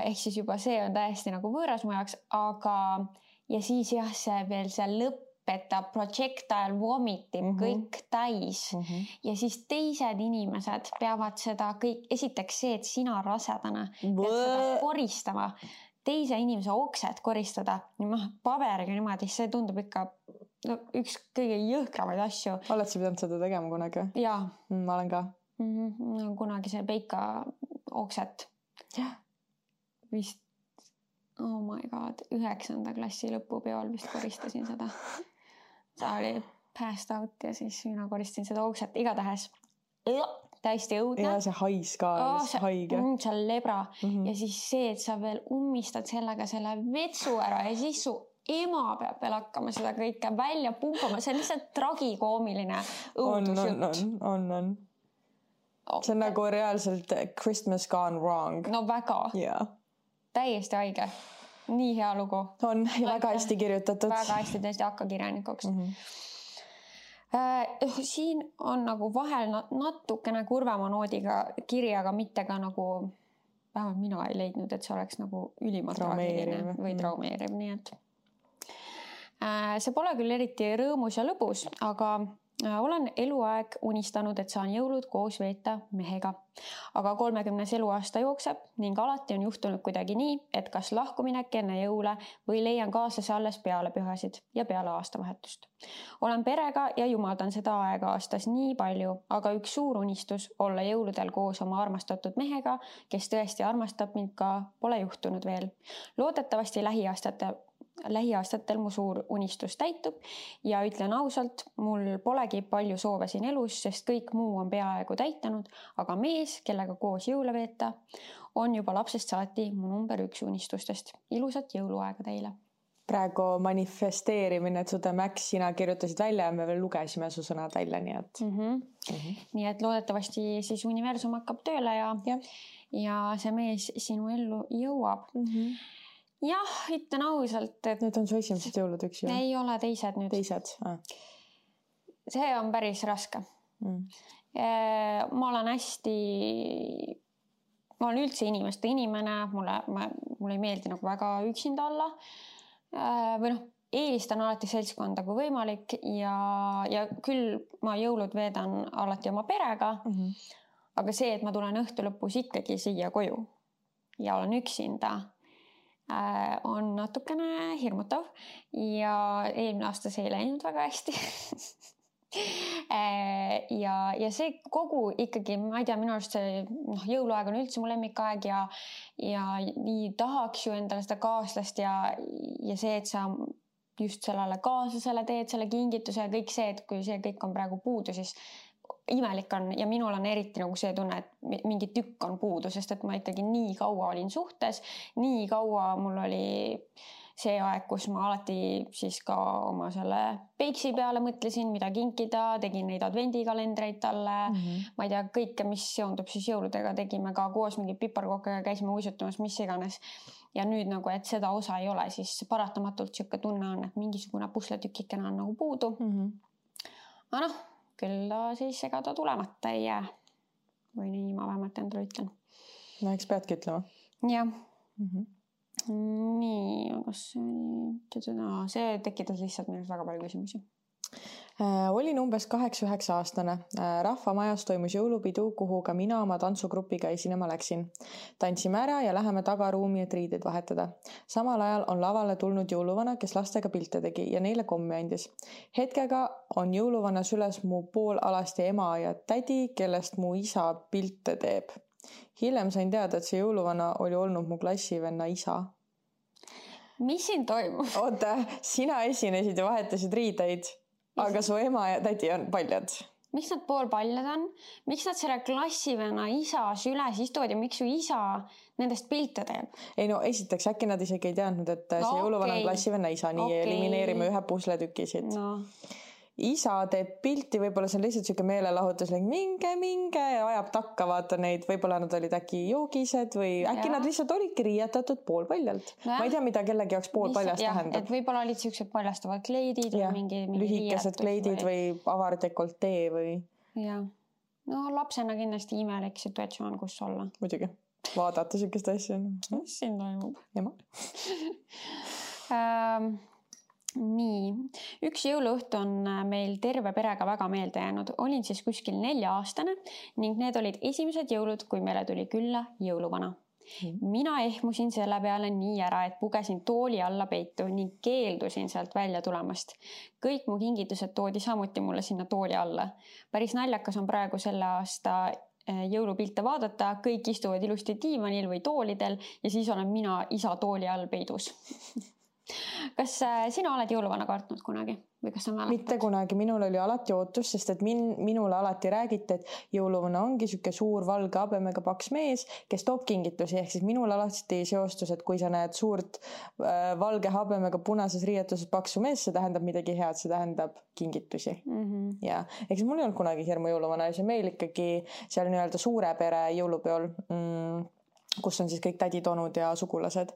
Ehk siis juba see on täiesti nagu võõras mu jaoks, aga ja siis jah, see veel see lõpp, et ta projectile vomitib kõik täis ja siis teised inimesed peavad seda kõik, esiteks see, et sina rasedana pead seda koristama, teise inimese oksed koristada, paberiga niimoodi, see tundub ikka üks kõige jõhkramaid asju. Oled sa pidanud seda tegema kunagi? Jaa. Ma olen ka. Kunagi see peika okset. Vist, oh my god, 9. klassi lõpupeol vist koristasin seda. See oli passed out ja siis mina koristasin seda okset igatahes. Täiesti õudne. Ja see hais ka, haige. See on lebra. Ja siis see, et sa veel ummistad sellega selle vetsu ära ja siis su ema peab veel hakkama seda kõike välja pumpama. See on lihtsalt tragikoomiline õudusjutt. On. See on nagu reaalselt Christmas gone wrong. No väga. Täiesti haige. Nii hea lugu. On ja väga hästi kirjutatud. Väga hästi tõesti hakka kirjanikuks. Siin on nagu vahel natukene kurvema noodiga kiri, aga mitte ka nagu, vähemalt mina ei leidnud, et see oleks nagu ülimalt traagiline või traumeeriv. Nii et see pole küll eriti rõõmus ja lõbus, aga olen eluaeg unistanud, et saan jõulud koos veeta mehega. Aga 30. eluaasta jookseb ning alati on juhtunud kuidagi nii, et kas lahkuminek enne jõule või leian kaaslase alles peale pühasid ja peale aastavahetust. Olen perega ja jumaldan seda aega aastas nii palju, aga üks suur unistus olla jõuludel koos oma armastatud mehega, kes tõesti armastab mind ka, pole juhtunud veel. Loodetavasti lähiaastatel mu suur unistus täitub ja ütlen ausalt, mul polegi palju soove siin elus, sest kõik muu on peaaegu täitanud, aga mees, kellega koos jõule veeta, on juba lapsest saati mu number 1 unistustest. Ilusat jõuluaega teile! Praegu manifesteerimine, et Sude Max, sina kirjutasid välja ja me veel lugesime su sõnad välja, nii et... Nii et loodetavasti siis universum hakkab tööle ja see mees sinu ellu jõuab. Jah, ütlen ausalt, et... Need on su esimesed jõulud üks ju? Ei ole teised nüüd. Teised? See on päris raske. Ma olen hästi... Ma olen üldse inimeste inimene, mulle ei meeldi nagu väga üksinda olla. Või eelistan alati seltskonda kui võimalik ja küll ma jõulud veedan alati oma perega, aga see, et ma tulen õhtu lõpus ikkagi siia koju ja olen üksinda, on natukene hirmutav ja eelmine aasta see ei läinud väga hästi. Ja see kogu ikkagi, ma ei tea, minu arust see jõuluaeg on üldse mu lemmikaeg ja nii tahaks ju endale seda kaaslast ja see, et sa just sellele kaaslasele teed selle kingituse ja kõik see, et kui see kõik on praegu puudu, siis imelik on ja minul on eriti nagu see tunne, et mingi tükk on puudu, sest et ma ikkagi nii kaua olin suhtes, nii kaua mul oli see aeg, kus ma alati siis ka oma selle peiksi peale mõtlesin, mida kinkida, tegin neid advendikalendreid talle, ma ei tea, kõike, mis seondub siis jõuludega, tegime ka koos mingi piparkokkega, käisime uisutamas, mis iganes. Ja nüüd nagu, et seda osa ei ole, siis paratamatult siuke tunne on, et mingisugune pusletükikene on nagu puudu. Aga küll ta siis ega ta tulemata ei jää. Või nii ma vähemalt endale ütlen. No, eks peadki ütlema. Jah. Nii, aga see tekitas lihtsalt minust väga palju küsimusi. Olin umbes 8-9 aastane. Rahvamajas toimus jõulupidu, kuhu ka mina oma tantsugrupiga esinema läksin. Tantsime ära ja läheme tagaruumi, et riideid vahetada. Samal ajal on lavale tulnud jõuluvana, kes lastega pilte tegi ja neile kommi andis. Hetkega on jõuluvana süles mu poolalasti ema ja tädi, kellest mu isa pilte teeb. Hiljem sain teada, et see jõuluvana oli olnud mu klassivenna isa. Mis siin toimub? Oota, sina esinesid ja vahetasid riideid, aga su ema ja tädi on paljad. Miks nad poolpaljad on? Miks nad selle klassivenna isa süles istuvad ja miks su isa nendest pilte teeb? Ei no, esiteks äkki nad isegi ei teadnud, et see jõuluvana on klassivenna isa, nii elimineerime ühe pusletüki siit. No. Isa teeb pilti, võib-olla see on lihtsalt siuke meelelahutus, minge ja ajab takka, vaata neid, võib-olla nad olid äkki joogised või äkki nad lihtsalt olidki riietatud poolpaljalt. Ma ei tea, mida kellegi jaoks poolpaljast tähendab. Et võib-olla olid siuksed paljastavad kleidid või mingi lühikesed kleidid või avar dekoltee või... Ja. No lapsena kindlasti imelik situatsioon, kus olla. Muidugi. Vaadata siukest asja. Mis siin toimub? Jama. Nii, üks jõuluõhtu on meil terve perega väga meelde jäänud. Olin siis kuskil 4-aastane ning need olid esimesed jõulud, kui meile tuli külla jõuluvana. Mina ehmusin selle peale nii ära, et pugesin tooli alla peitu ning keeldusin sealt välja tulemast. Kõik mu kingitused toodi samuti mulle sinna tooli alla. Päris naljakas on praegu selle aasta jõulupilte vaadata, kõik istuvad ilusti diivanil või toolidel ja siis olen mina isa tooli all peidus. Kas sina oled jõuluvana kartnud kunagi? Või kas sa mäletad? Mitte kunagi, minul oli alati ootus, sest et minule alati räägiti, et jõuluvana ongi siuke suur valge habemega paks mees, kes toob kingitusi, ehk siis minul alati seostus, et kui sa näed suurt valge habemega punases riietuses paksu mees, see tähendab midagi head, see tähendab kingitusi. Ja eks mul ei olnud kunagi hirmu jõuluvana ja see meil ikkagi seal nii-öelda suure pere jõulupeol kus on siis kõik tädid, onud ja sugulased,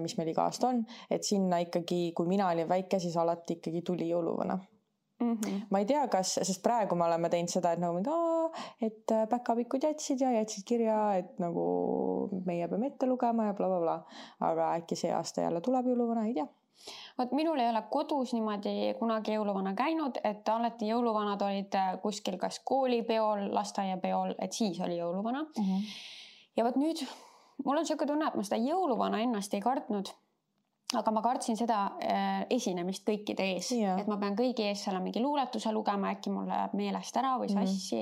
mis meil iga aasta on, et sinna ikkagi, kui mina olin väike, siis alati ikkagi tuli jõuluvana. Ma ei tea, kas, sest praegu me oleme teinud seda, et nagu et päkapikud jätsid kirja, et nagu meie peame ette lugema ja blablabla. Aga äkki see aasta jälle tuleb jõuluvana, ei tea. Vaat minul ei ole kodus niimoodi kunagi jõuluvana käinud, et alati jõuluvanad olid kuskil kas koolipeol, lasteaiapeol, et siis oli jõuluvana. Ja võt nüüd, mul on siuke tunne, et ma seda jõuluvana ennast ei kartnud, aga ma kartsin seda esinemist kõikide ees, et ma pean kõigi ees selle mingi luuletuse lugema, äkki mul läheb meelest ära või sassi,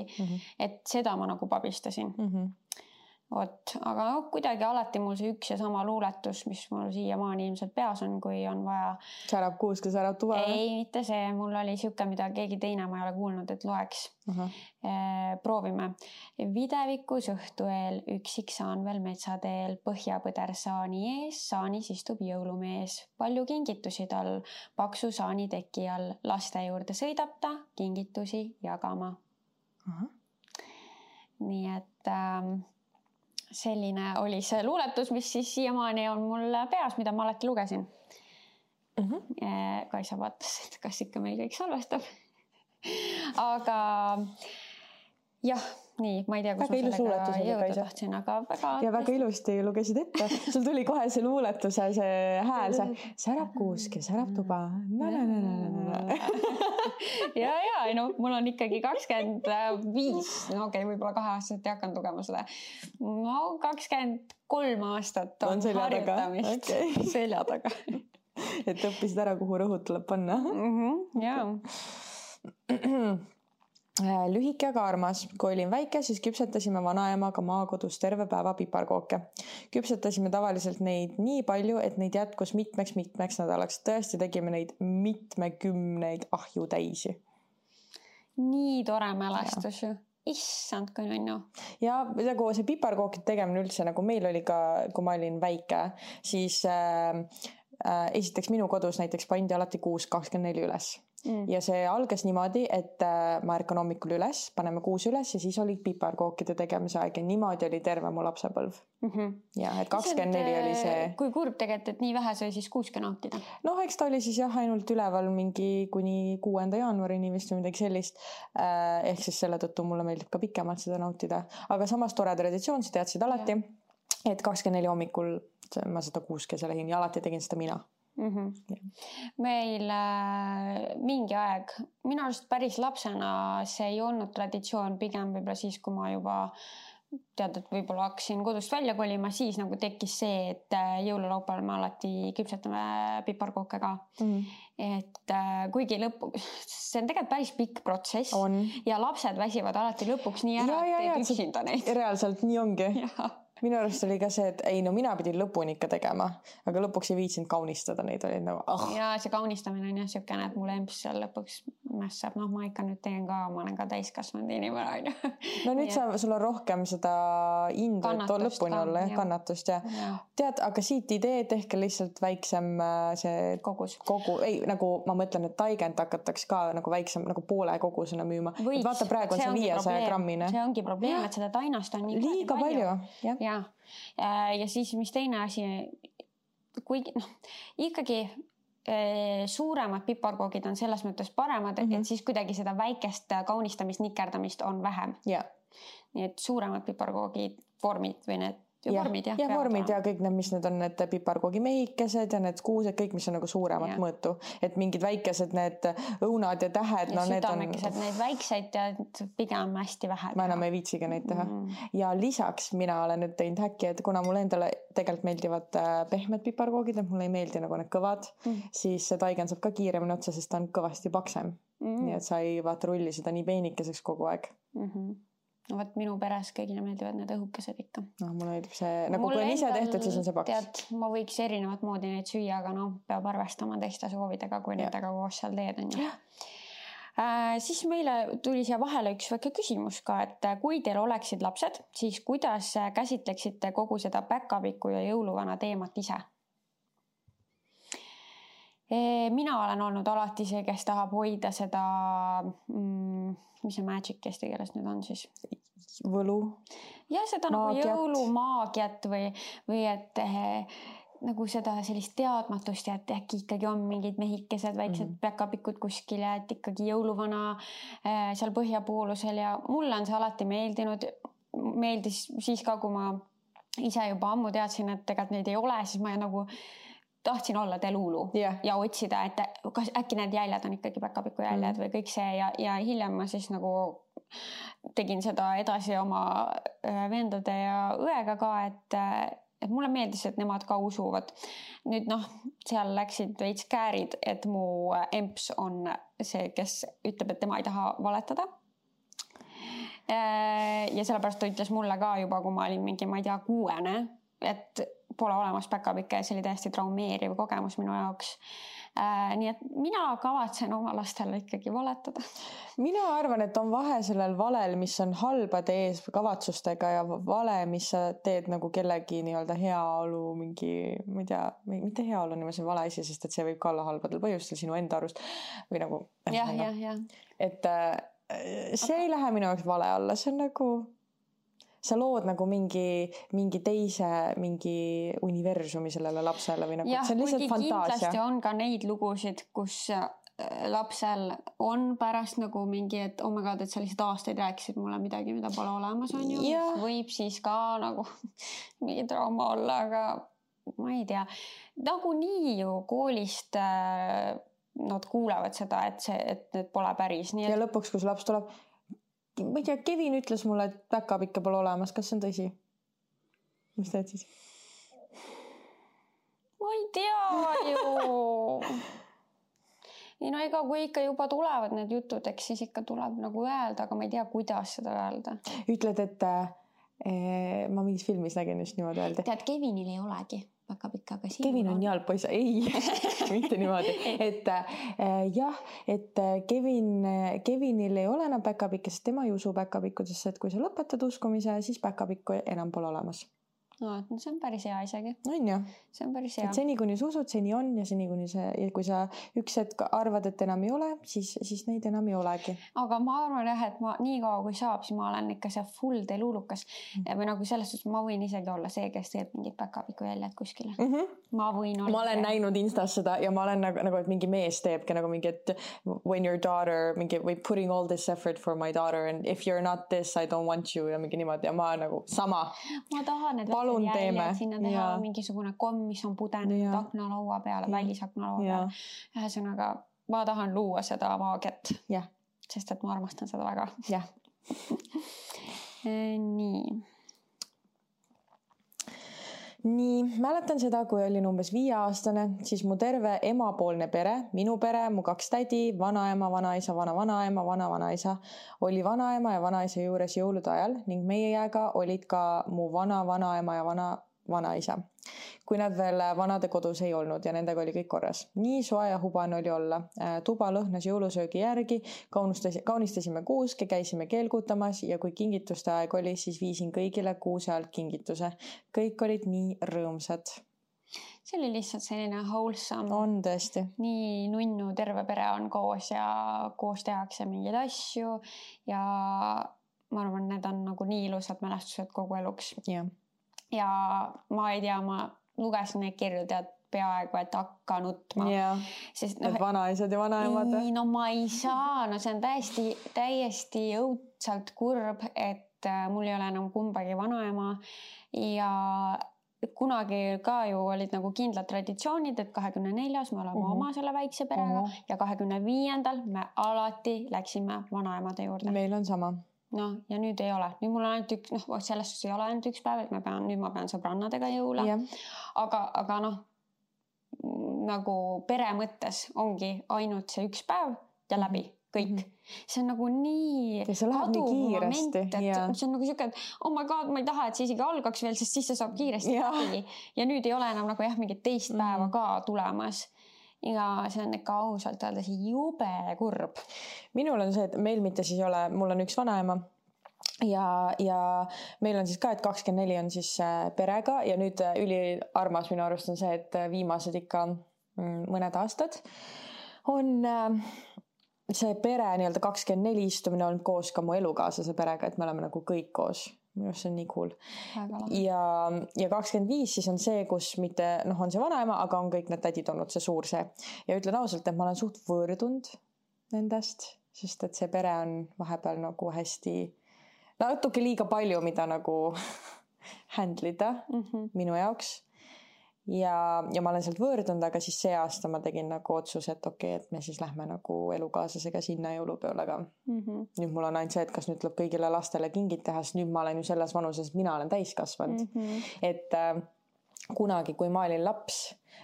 et seda ma nagu pabistasin. Vot, aga no, kuidagi alati mul see üks ja sama luuletus, mis mul siiamaani ilmselt peas on, kui on vaja. Särab kuuske, särab tuba? Ei, mitte see. Mul oli siuke, mida keegi teine ma ei ole kuulnud, et loeks. Proovime. Videvikus õhtu eel, üksik saan veel metsateel, põhjapõder saani ees, saanis istub jõulumees. Palju kingitusi tal, paksu saani teki all, laste juurde sõidab ta, kingitusi jagama. Nii et selline oli see luuletus, mis siis siiamaani on mul peas, mida ma alati lugesin. Kaisa vaatas, et kas ikka meil kõik salvestab. Aga jah, nii, ma ei tea, kus ma sellega jõuda tahtsin, aga väga... Ja väga ilusti lugesid ette. Sul tuli kohe see luuletuse, see hääl, see särab kuuske, särab tuba. Ja, no mul on ikkagi 25, no okei, võib-olla 2 aastaselt ei hakanud lugema seda. No 23 aastat on harjutamist selja taga. Et õppisid ära, kuhu rõhud tuleb panna. Jaa. Lühike aga armas. Kui olin väike, siis küpsetasime vanaemaga maakodus terve päeva piparkooke. Küpsetasime tavaliselt neid nii palju, et neid jätkus mitmeks nädalaks. Tõesti tegime neid mitmekümneid ahju täisi. Nii tore mälestus ju. Issand, kui nunnu. Ja see piparkookid tegemine üldse, nagu meil oli ka, kui ma olin väike, siis esiteks minu kodus näiteks pandi alati 6.24 üles. Ja see algas niimoodi, et ma ärkan hommikul üles, paneme 6 üles ja siis oli piparkookide tegemise aeg ja niimoodi oli terve mu lapsepõlv. Ja, et 24 oli see... Kui kurb tegelikult, et nii vähe sai siis 6 nautida? No, eks ta oli siis jah, ainult üleval mingi kuni 6. jaanuarini vist või midagi sellist. Ehk siis selle tõttu mulle meeldib ka pikemalt seda nautida. Aga samas tore traditsioon, sa teadsid alati, et 24 hommikul ma seda 6 lähin ja alati tegin seda mina. Meil mingi aeg, minu arust päris lapsena see ei olnud traditsioon, pigem võib-olla siis, kui ma juba tead, et võib-olla hakkasin kodust välja kolima, siis nagu tekkis see, et jõululaupäeval me alati küpsetame piparkooke ka. Et kuigi see on tegelikult päris pikk protsess ja lapsed väsivad alati lõpuks nii ära, et üksinda neid. Reaalselt nii ongi. Minu arust oli ka see, et ei, no mina pidin lõpuni ikka tegema, aga lõpuks ei viitsinud kaunistada neid, oli nagu Ja see kaunistamine on jah siukene, et mulle emps seal lõpuks mässab, noh ma ikka nüüd teen ka, ma olen ka täiskasvanud inimene. No nüüd sul on rohkem seda indu, et lõpuni olla, kannatust ja tead, aga siit idee tehke lihtsalt väiksem see ei, nagu ma mõtlen, et taigent hakataks ka nagu väiksem, nagu poole kogusena müüma. Vaata praegu on see 500 grammine. See ongi probleem, et seda tainast on nii liiga palju. Ja siis mis teine asi, kuigi ikkagi suuremad piparkoogid on selles mõttes paremad, et siis kuidagi seda väikest kaunistamist, nikerdamist on vähem. Nii et suuremad piparkoogid vormid või need vormid ja vormid ja kõik need, mis need on, need piparkoogi mehikesed ja need kuused, kõik, mis on nagu suuremat mõõtu. Et mingid väikesed need õunad ja tähed. Ja südamekesed, need väikseid ja pigem hästi vähe. Ma enam ei viitsiga neid teha. Ja lisaks mina olen nüüd teinud häkki, et kuna mulle endale tegelikult meeldivad pehmed piparkoogid, et mulle ei meeldi nagu need kõvad, siis see taigen saab ka kiiremini otsa, sest ta on kõvasti paksem. Nii et sa ei vaata rulli seda nii peenikeseks kogu aeg. No võt minu peres kõigile meeldivad need õhukesed ikka. No mulle meeldib see, nagu kui on ise tehtud, siis on see paks. Tead, ma võiks erinevat moodi neid süüa, aga peab arvestama teiste soovidega, kui nendega koos seal teed on. Siis meile tuli siia vahele üks väike küsimus ka, et kui teil oleksid lapsed, siis kuidas käsitleksite kogu seda päkapiku ja jõuluvana teemat ise? Mina olen olnud alati see, kes tahab hoida seda, mis see magic eesti keeles nüüd on siis? Võlu. Ja seda nagu jõulumaagiat või et nagu seda sellist teadmatust ja et äkki ikkagi on mingid mehikesed, väiksed päkapikud kuskil ja et ikkagi jõuluvana seal põhjapoolusel ja mulle on see alati meeldis siis ka, kui ma ise juba ammu teadsin, et tegelikult neid ei ole, siis ma nagu tahtsin olla Delulu ja otsida, et kas äkki need jäljed on ikkagi päkapiku jäljed või kõik see ja hiljem ma siis nagu tegin seda edasi oma vendade ja õega ka, et mulle meeldis, et nemad ka usuvad. Nüüd seal läksid veits käärid, et mu emps on see, kes ütleb, et tema ei taha valetada. ja sellepärast ta ütles mulle ka juba, kui ma olin mingi, ma ei tea, 6, et pole olemas päkapikke ja see oli täiesti traumeeriv kogemus minu jaoks. Nii et mina kavatsen oma lastele ikkagi valetada. Mina arvan, et on vahe sellel valel, mis on halbade ees kavatsustega ja vale, mis sa teed nagu kellegi nii-öelda heaolu mingi, ma ei tea, mitte heaolu niimoodi vale asi, sest et see võib ka olla halbadel põhjustel sinu enda arust või nagu. Jah. Et see ei lähe minu jaoks vale alla, see on nagu sa lood nagu mingi teise mingi universumi sellele lapsele või nagu, see on lihtsalt fantaasia. Kindlasti on ka neid lugusid, kus lapsel on pärast nagu mingi, et oh my god, et sa lihtsalt aastaid rääkisid mulle midagi, mida pole olemas, on ju. Võib siis ka nagu mingi trauma olla, aga ma ei tea. Nagu nii ju koolist nad kuulevad seda, et need pole päris. Nii et... Ja lõpuks, kus laps tuleb... Ma ei tea, Kevin ütles mulle, et päkapikke pole olemas. Kas see on tõsi? Mis teed siis? Ma ei tea ju. Ei no ega kui ikka juba tulevad need jutud, eks siis ikka tuleb nagu öelda, aga ma ei tea, kuidas seda öelda. Ütled, et ma mingis filmis nägin just niimoodi öelda. Tead, Kevinil ei olegi päkapikka, aga siin Kevin on jalgpoiss. Ei, mitte niimoodi. Et jah, et Kevinil ei ole enam päkapikke, sest tema ei usu päkapikkudesse, et kui sa lõpetad uskumise, siis päkapikku enam pole olemas. No, see on päris hea isegi. On ju? See on päris hea. Et seni, kuni sa usud, seni on ja seni, kuni kui sa üks hetk arvad, et enam ei ole, siis neid enam ei olegi. Aga ma arvan jah, et ma nii kaua kui saab, siis ma olen ikka see full teluulukas. Või nagu selles suhtes ma võin isegi olla see, kes teeb mingid päkapiku jäljed kuskile. Ma võin olla. Ma olen näinud Instas seda ja ma olen nagu, et mingi mees teebki nagu mingi, et when your daughter, mingi või putting all this effort for my daughter and if you're not this, I don't want you ja mingi niimoodi ja ma nagu sama. Ma tahan, et jäljed sinna teha mingisugune komm, mis on pudenud aknalaua peale, välisaknalaua peale. Ühesõnaga, ma tahan luua seda maagiat, sest et ma armastan seda väga. Jah. Nii, mäletan seda, kui olin umbes 5-aastane, siis mu terve emapoolne pere, minu pere, mu 2 tädi, vanaema, vanaisa, vana-vanaema, vana-vanaisa, oli vanaema ja vanaisa juures jõulude ajal ning meiega olid ka mu vana-vanaema ja vana-vanaisa, kui nad veel vanade kodus ei olnud ja nendega oli kõik korras. Nii soe ja hubane oli olla. Tuba lõhnas jõulusöögi järgi, kaunistasime kuuske, käisime keelgutamas ja kui kingituste aeg oli, siis viisin kõigile kuuse alt kingituse. Kõik olid nii rõõmsad. See oli lihtsalt selline wholesome. On tõesti. Nii nunnu, terve pere on koos ja koos tehakse mingeid asju ja ma arvan, need on nagu nii ilusad mälestused kogu eluks. Ja ma ei tea, ma lugesin neid kirju tead peaaegu, et hakka nutma. Sest, vanaisad ja vanaemad. No ma ei saa, no see on täiesti õudselt kurb, et mul ei ole enam kumbagi vanaema ja kunagi ka ju olid nagu kindlad traditsioonid, et 24. me oleme oma selle väikse perega ja 25. me alati läksime vanaemade juurde. Meil on sama. No ja nüüd ei ole. Nüüd mul on ainult üks, selles suhtes ei ole ainult üks päev, et nüüd ma pean sõbrannadega jõule. Aga nagu pere mõttes ongi ainult see üks päev ja läbi kõik. See on nagu nii kaduv moment, et see on nagu siuke, et oh my god, ma ei taha, et see isegi algaks veel, sest siis see saab kiiresti läbi. Ja nüüd ei ole enam nagu mingit teist päeva ka tulemas. Ja see on ikka ausalt öeldes jube kurb. Minul on see, et meil mitte siis ole, mul on üks vanaema ja meil on siis ka, et 24 on siis perega ja nüüd üliarmas minu arust on see, et viimased ikka mõned aastad on see pere nii-öelda 24 istumine olnud koos ka mu elukaaslase perega, et me oleme nagu kõik koos. Minu see on nii cool. Ja 25 siis on see, kus mitte, on see vanaema, aga on kõik need tädid olnud see suur see. Ja ütlen ausalt, et ma olen suht võõrdunud nendest, sest et see pere on vahepeal nagu hästi, natuke liiga palju, mida nagu handlida minu jaoks. Ja ma olen sealt võõrdunud, aga siis see aasta ma tegin nagu otsus, et okei, et me siis lähme nagu elukaaslasega sinna jõulupeole ka. Nüüd mul on ainult see, et kas nüüd tuleb kõigile lastele kingid teha, sest nüüd ma olen ju selles vanuses, et mina olen täiskasvanud. Et kunagi, kui ma olin laps,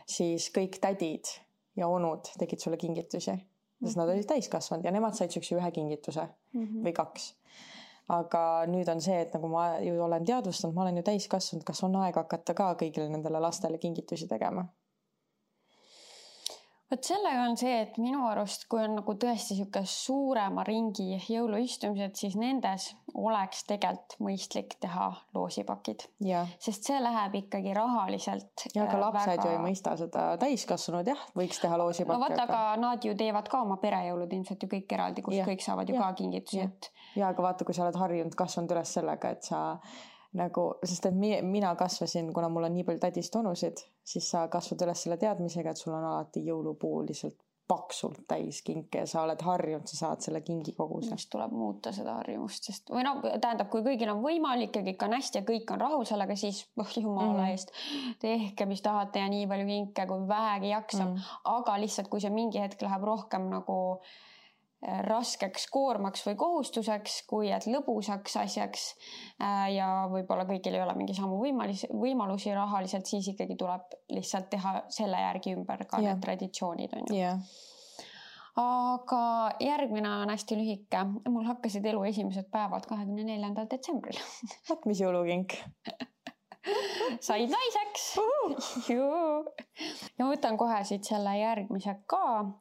siis kõik tädid ja onud tegid sulle kingitusi, sest nad olid täiskasvanud ja nemad said sükse ühe kingituse või 2. aga nüüd on see, et nagu ma ju olen teadvustanud, ma olen ju täiskasvanud, kas on aeg hakata ka kõigile nendele lastele kingitusi tegema? Vot sellega on see, et minu arust, kui on nagu tõesti sihuke suurema ringi jõuluistumised, siis nendes oleks tegelikult mõistlik teha loosipakid. Sest see läheb ikkagi rahaliselt. Ja aga lapsed ju ei mõista seda, täiskasvanud jah, võiks teha loosipakki. No vaata, aga nad ju teevad ka oma perejõulud ilmselt ju kõik eraldi, kus kõik saavad ju ka kingitusi. Ja aga vaata, kui sa oled harjunud, kasvanud üles sellega, et sa nagu, sest et mina kasvasin, kuna mul on nii palju tädist onusid, siis sa kasvad üles selle teadmisega, et sul on alati jõulupuu lihtsalt paksult täis kinke ja sa oled harjunud, sa saad selle kingi koguse. Mis tuleb muuta seda harjumust, sest või no tähendab, kui kõigil on võimalik ja kõik on hästi ja kõik on rahul sellega, siis jumala eest tehke, mis tahate ja nii palju kinke, kui vähegi jaksab. Aga lihtsalt, kui see mingi hetk läheb rohkem nagu raskeks koormaks või kohustuseks, kui et lõbusaks asjaks ja võib-olla kõigil ei ole mingi samu võimalusi rahaliselt, siis ikkagi tuleb lihtsalt teha selle järgi ümber ka need traditsioonid on ju. Aga järgmine on hästi lühike. Mul hakkasid elu esimesed päevad 24. detsembril. Vaat mis jõulukink? Said naiseks. Ja võtan kohe siit selle järgmise ka.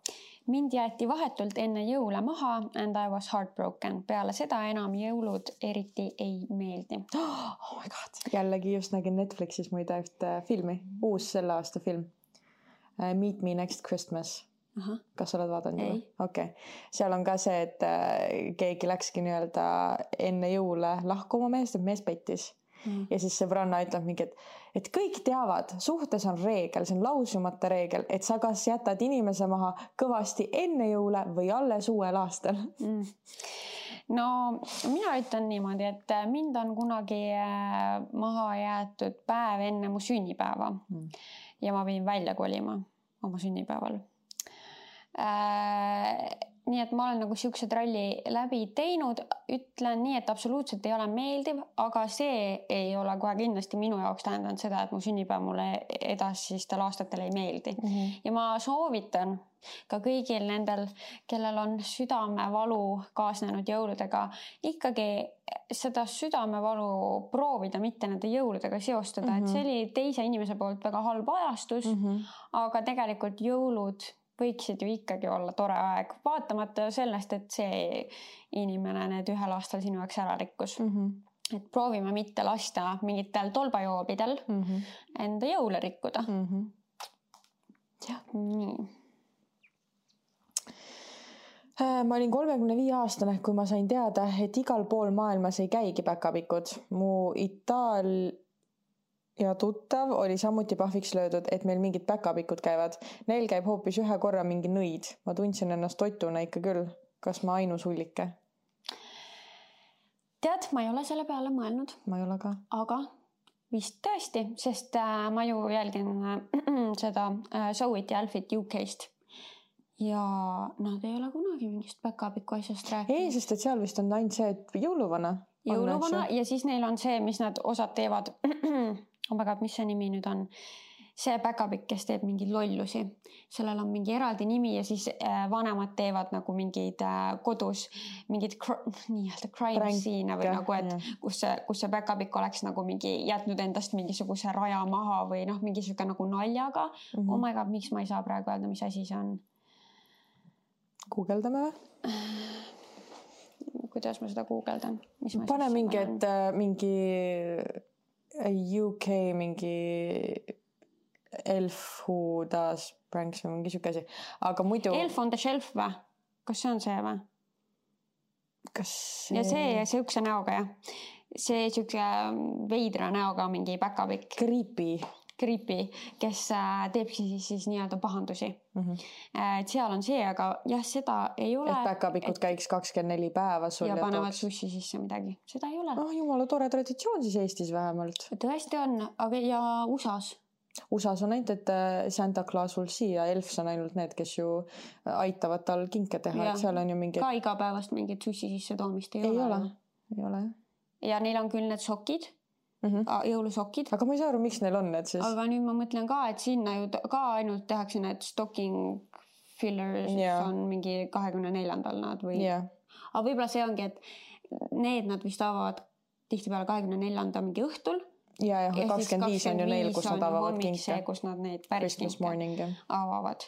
Mind jäeti vahetult enne jõule maha and I was heartbroken. Peale seda enam jõulud eriti ei meeldi. Oh my god. Jällegi just nägin Netflixis muide ühte filmi. Uus selle aasta film. Meet Me Next Christmas. Kas oled vaadanud? Ei. Okay. Seal on ka see, et keegi läkski nii-öelda enne jõule lahku oma meest, et mees pettis. Ja siis sõbranna ütleb mingi, et kõik teavad, suhtes on reegel, see on lausumata reegel, et sa kas jätad inimese maha kõvasti enne jõule või alles uuel aastal. No mina ütlen niimoodi, et mind on kunagi maha jäetud päev enne mu sünnipäeva ja ma pidin välja kolima oma sünnipäeval. Nii et ma olen nagu siukse tralli läbi teinud, ütlen nii, et absoluutselt ei ole meeldiv, aga see ei ole kohe kindlasti minu jaoks tähendanud seda, et mu sünnipäev mulle edasistel aastatel ei meeldi. Ja ma soovitan ka kõigil nendel, kellel on südamevalu kaasnenud jõuludega, ikkagi seda südamevalu proovida mitte nende jõuludega seostada, et see oli teise inimese poolt väga halb ajastus, aga tegelikult jõulud võiksid ju ikkagi olla tore aeg, vaatamata sellest, et see inimene need ühel aastal sinu jaoks ära rikkus. Et proovime mitte lasta mingitel tolbajoobidel enda jõule rikkuda. Nii. Ma olin 35 aastane, kui ma sain teada, et igal pool maailmas ei käigi päkapikud. Mu ja tuttav oli samuti pahviks löödud, et meil mingid päkapikud käivad. Neil käib hoopis ühe korra mingi nõid. Ma tundsin ennast totuna ikka küll. Kas ma ainus hullike? Tead, ma ei ole selle peale mõelnud. Ma ei ole ka. Aga vist tõesti, sest ma ju jälgin seda Zoe'it ja Alfit UK-st. Ja nad ei ole kunagi mingist päkapiku asjast rääkinud. Ei, sest et seal vist on ainult see, et jõuluvana. Jõuluvana ja siis neil on see, mis nad osad teevad. Mis see nimi nüüd on? See päkapikk, kes teeb mingeid lollusi. Sellel on mingi eraldi nimi ja siis vanemad teevad nagu mingid kodus mingid nii-öelda crime scene või nagu, et kus see päkapikk oleks nagu mingi jätnud endast mingisuguse raja maha või mingisugune nagu naljaga. Oh my god, miks ma ei saa praegu öelda, mis asi see on? Guugeldame või? Kuidas ma seda guugeldan? Pane mingi, et mingi UK mingi Elf Who Does Pranks või mingi siuke asi. Aga muidu... Elf on the Shelf või? Kas see on see või? Kas see... Ja see siukse näoga, jah. See siuke veidra näoga mingi päkapikk. Creepy, kes teebki siis nii-öelda pahandusi. Et seal on see, aga jah, seda ei ole. Et päkapikud käiks 24 päeva sul ja panevad sussi sisse midagi. Seda ei ole. Jumala tore traditsioon siis Eestis vähemalt. Tõesti on, aga ja USAs. USAs on ainult, et Santa Claus will see ja Elfs on ainult need, kes ju aitavad tal kinke teha. Et seal on ju mingi... Ka igapäevast mingit sussi sisse toomist ei ole. Ja neil on küll need sokid. Jõulusokid. Aga ma ei saa aru, miks neil on need siis. Aga nüüd ma mõtlen ka, et sinna ju ka ainult tehakse need stocking fillers on mingi 24. nad või. Aga võib-olla see ongi, et need nad vist avavad tihtipeale 24. mingi õhtul. Ja 25 on ju neil, kus nad avavad kinke. Kus nad neid päris kinke avavad.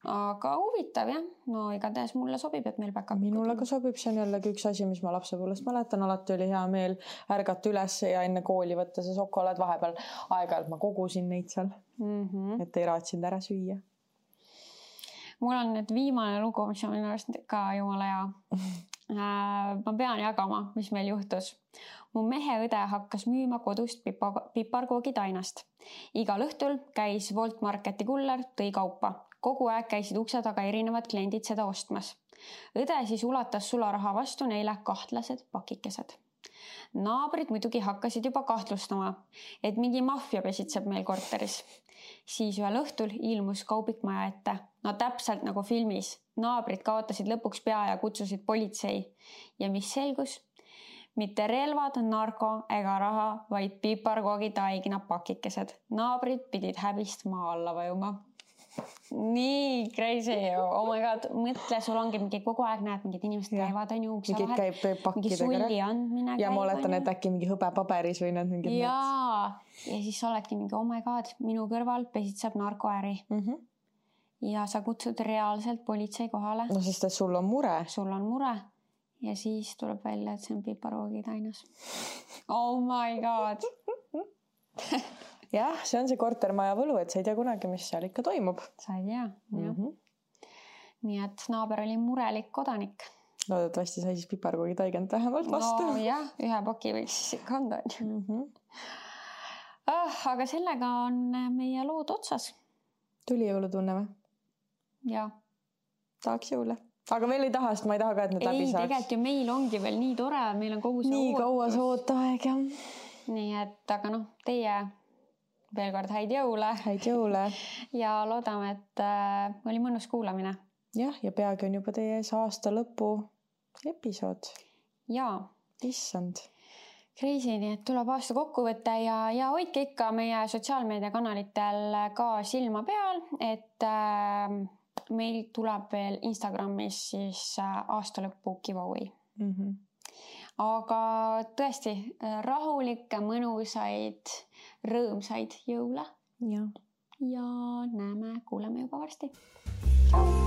Aga huvitav jah, no igatahes mulle sobib, et meil päkab. Minule ka sobib, see on jällegi üks asi, mis ma lapsepõlvest mäletan, alati oli hea meel ärgata üles ja enne kooli võtta see šokolaad vahepeal. Aeg-ajalt ma kogusin neid seal, et ei raatsinud ära süüa. Mul on nüüd viimane lugu, mis on minu arust ka jumala hea. Ma pean jagama, mis meil juhtus. Mu mehe õde hakkas müüma kodust piparkoogid ainast. Igal õhtul käis Wolt Marketi kuller, tõi kaupa. Kogu aeg käisid ukse taga erinevad kliendid seda ostmas. Õde siis ulatas sularaha vastu neile kahtlased pakikesed. Naabrid muidugi hakkasid juba kahtlustama, et mingi maffia pesitseb meil korteris. Siis ühel õhtul ilmus kaubik maja ette. No täpselt nagu filmis. Naabrid kaotasid lõpuks pea ja kutsusid politsei. Ja mis selgus? Mitte relvad, narko ega raha, vaid piparkoogid aigina pakikesed. Naabrid pidid häbist maa alla vajuma. Nii crazy ju, oh my god, mõtle, sul ongi mingi kogu aeg näed, mingid inimesed käivad on ju ukse vahel, mingi sulli andmine ja ma oletan, et äkki mingi hõbepaberis või need mingid ja siis oledki mingi oh my god, minu kõrval pesitseb narkoäri ja sa kutsud reaalselt politsei kohale. No sest, et sul on mure. Sul on mure ja siis tuleb välja, et see on piparkoogid ainas. Oh my god. Jah, see on see kortermaja võlu, et sa ei tea kunagi, mis seal ikka toimub. Sa ei tea, jah. Nii et naaber oli murelik kodanik. Loodetavasti sai siis piparkoogid aigend vähemalt vastu. No jah, ühe paki võiks siis ikka anda. Aga sellega on meie lood otsas. Tuli jõulutunne või? Jah. Tahaks jõule. Aga veel ei taha, sest ma ei taha ka, et need läbi saaks. Ei, tegelikult ju meil ongi veel nii tore, meil on kogu see nii kaua see ootaeg, jah. Nii et, aga noh, teie veel kord häid jõule. Häid jõule. Ja loodame, et oli mõnus kuulamine. Jah, ja peagi on juba teie ees aasta lõpu episood. Jaa. Issand. Crazy, nii et tuleb aasta kokku võtta ja hoidke ikka meie sotsiaalmeediakanalitel ka silma peal, et meil tuleb veel Instagramis siis aasta lõpu giveaway. Aga tõesti rahulikke, mõnusaid, rõõmsaid jõule. Ja näeme, kuuleme juba varsti. Tšau!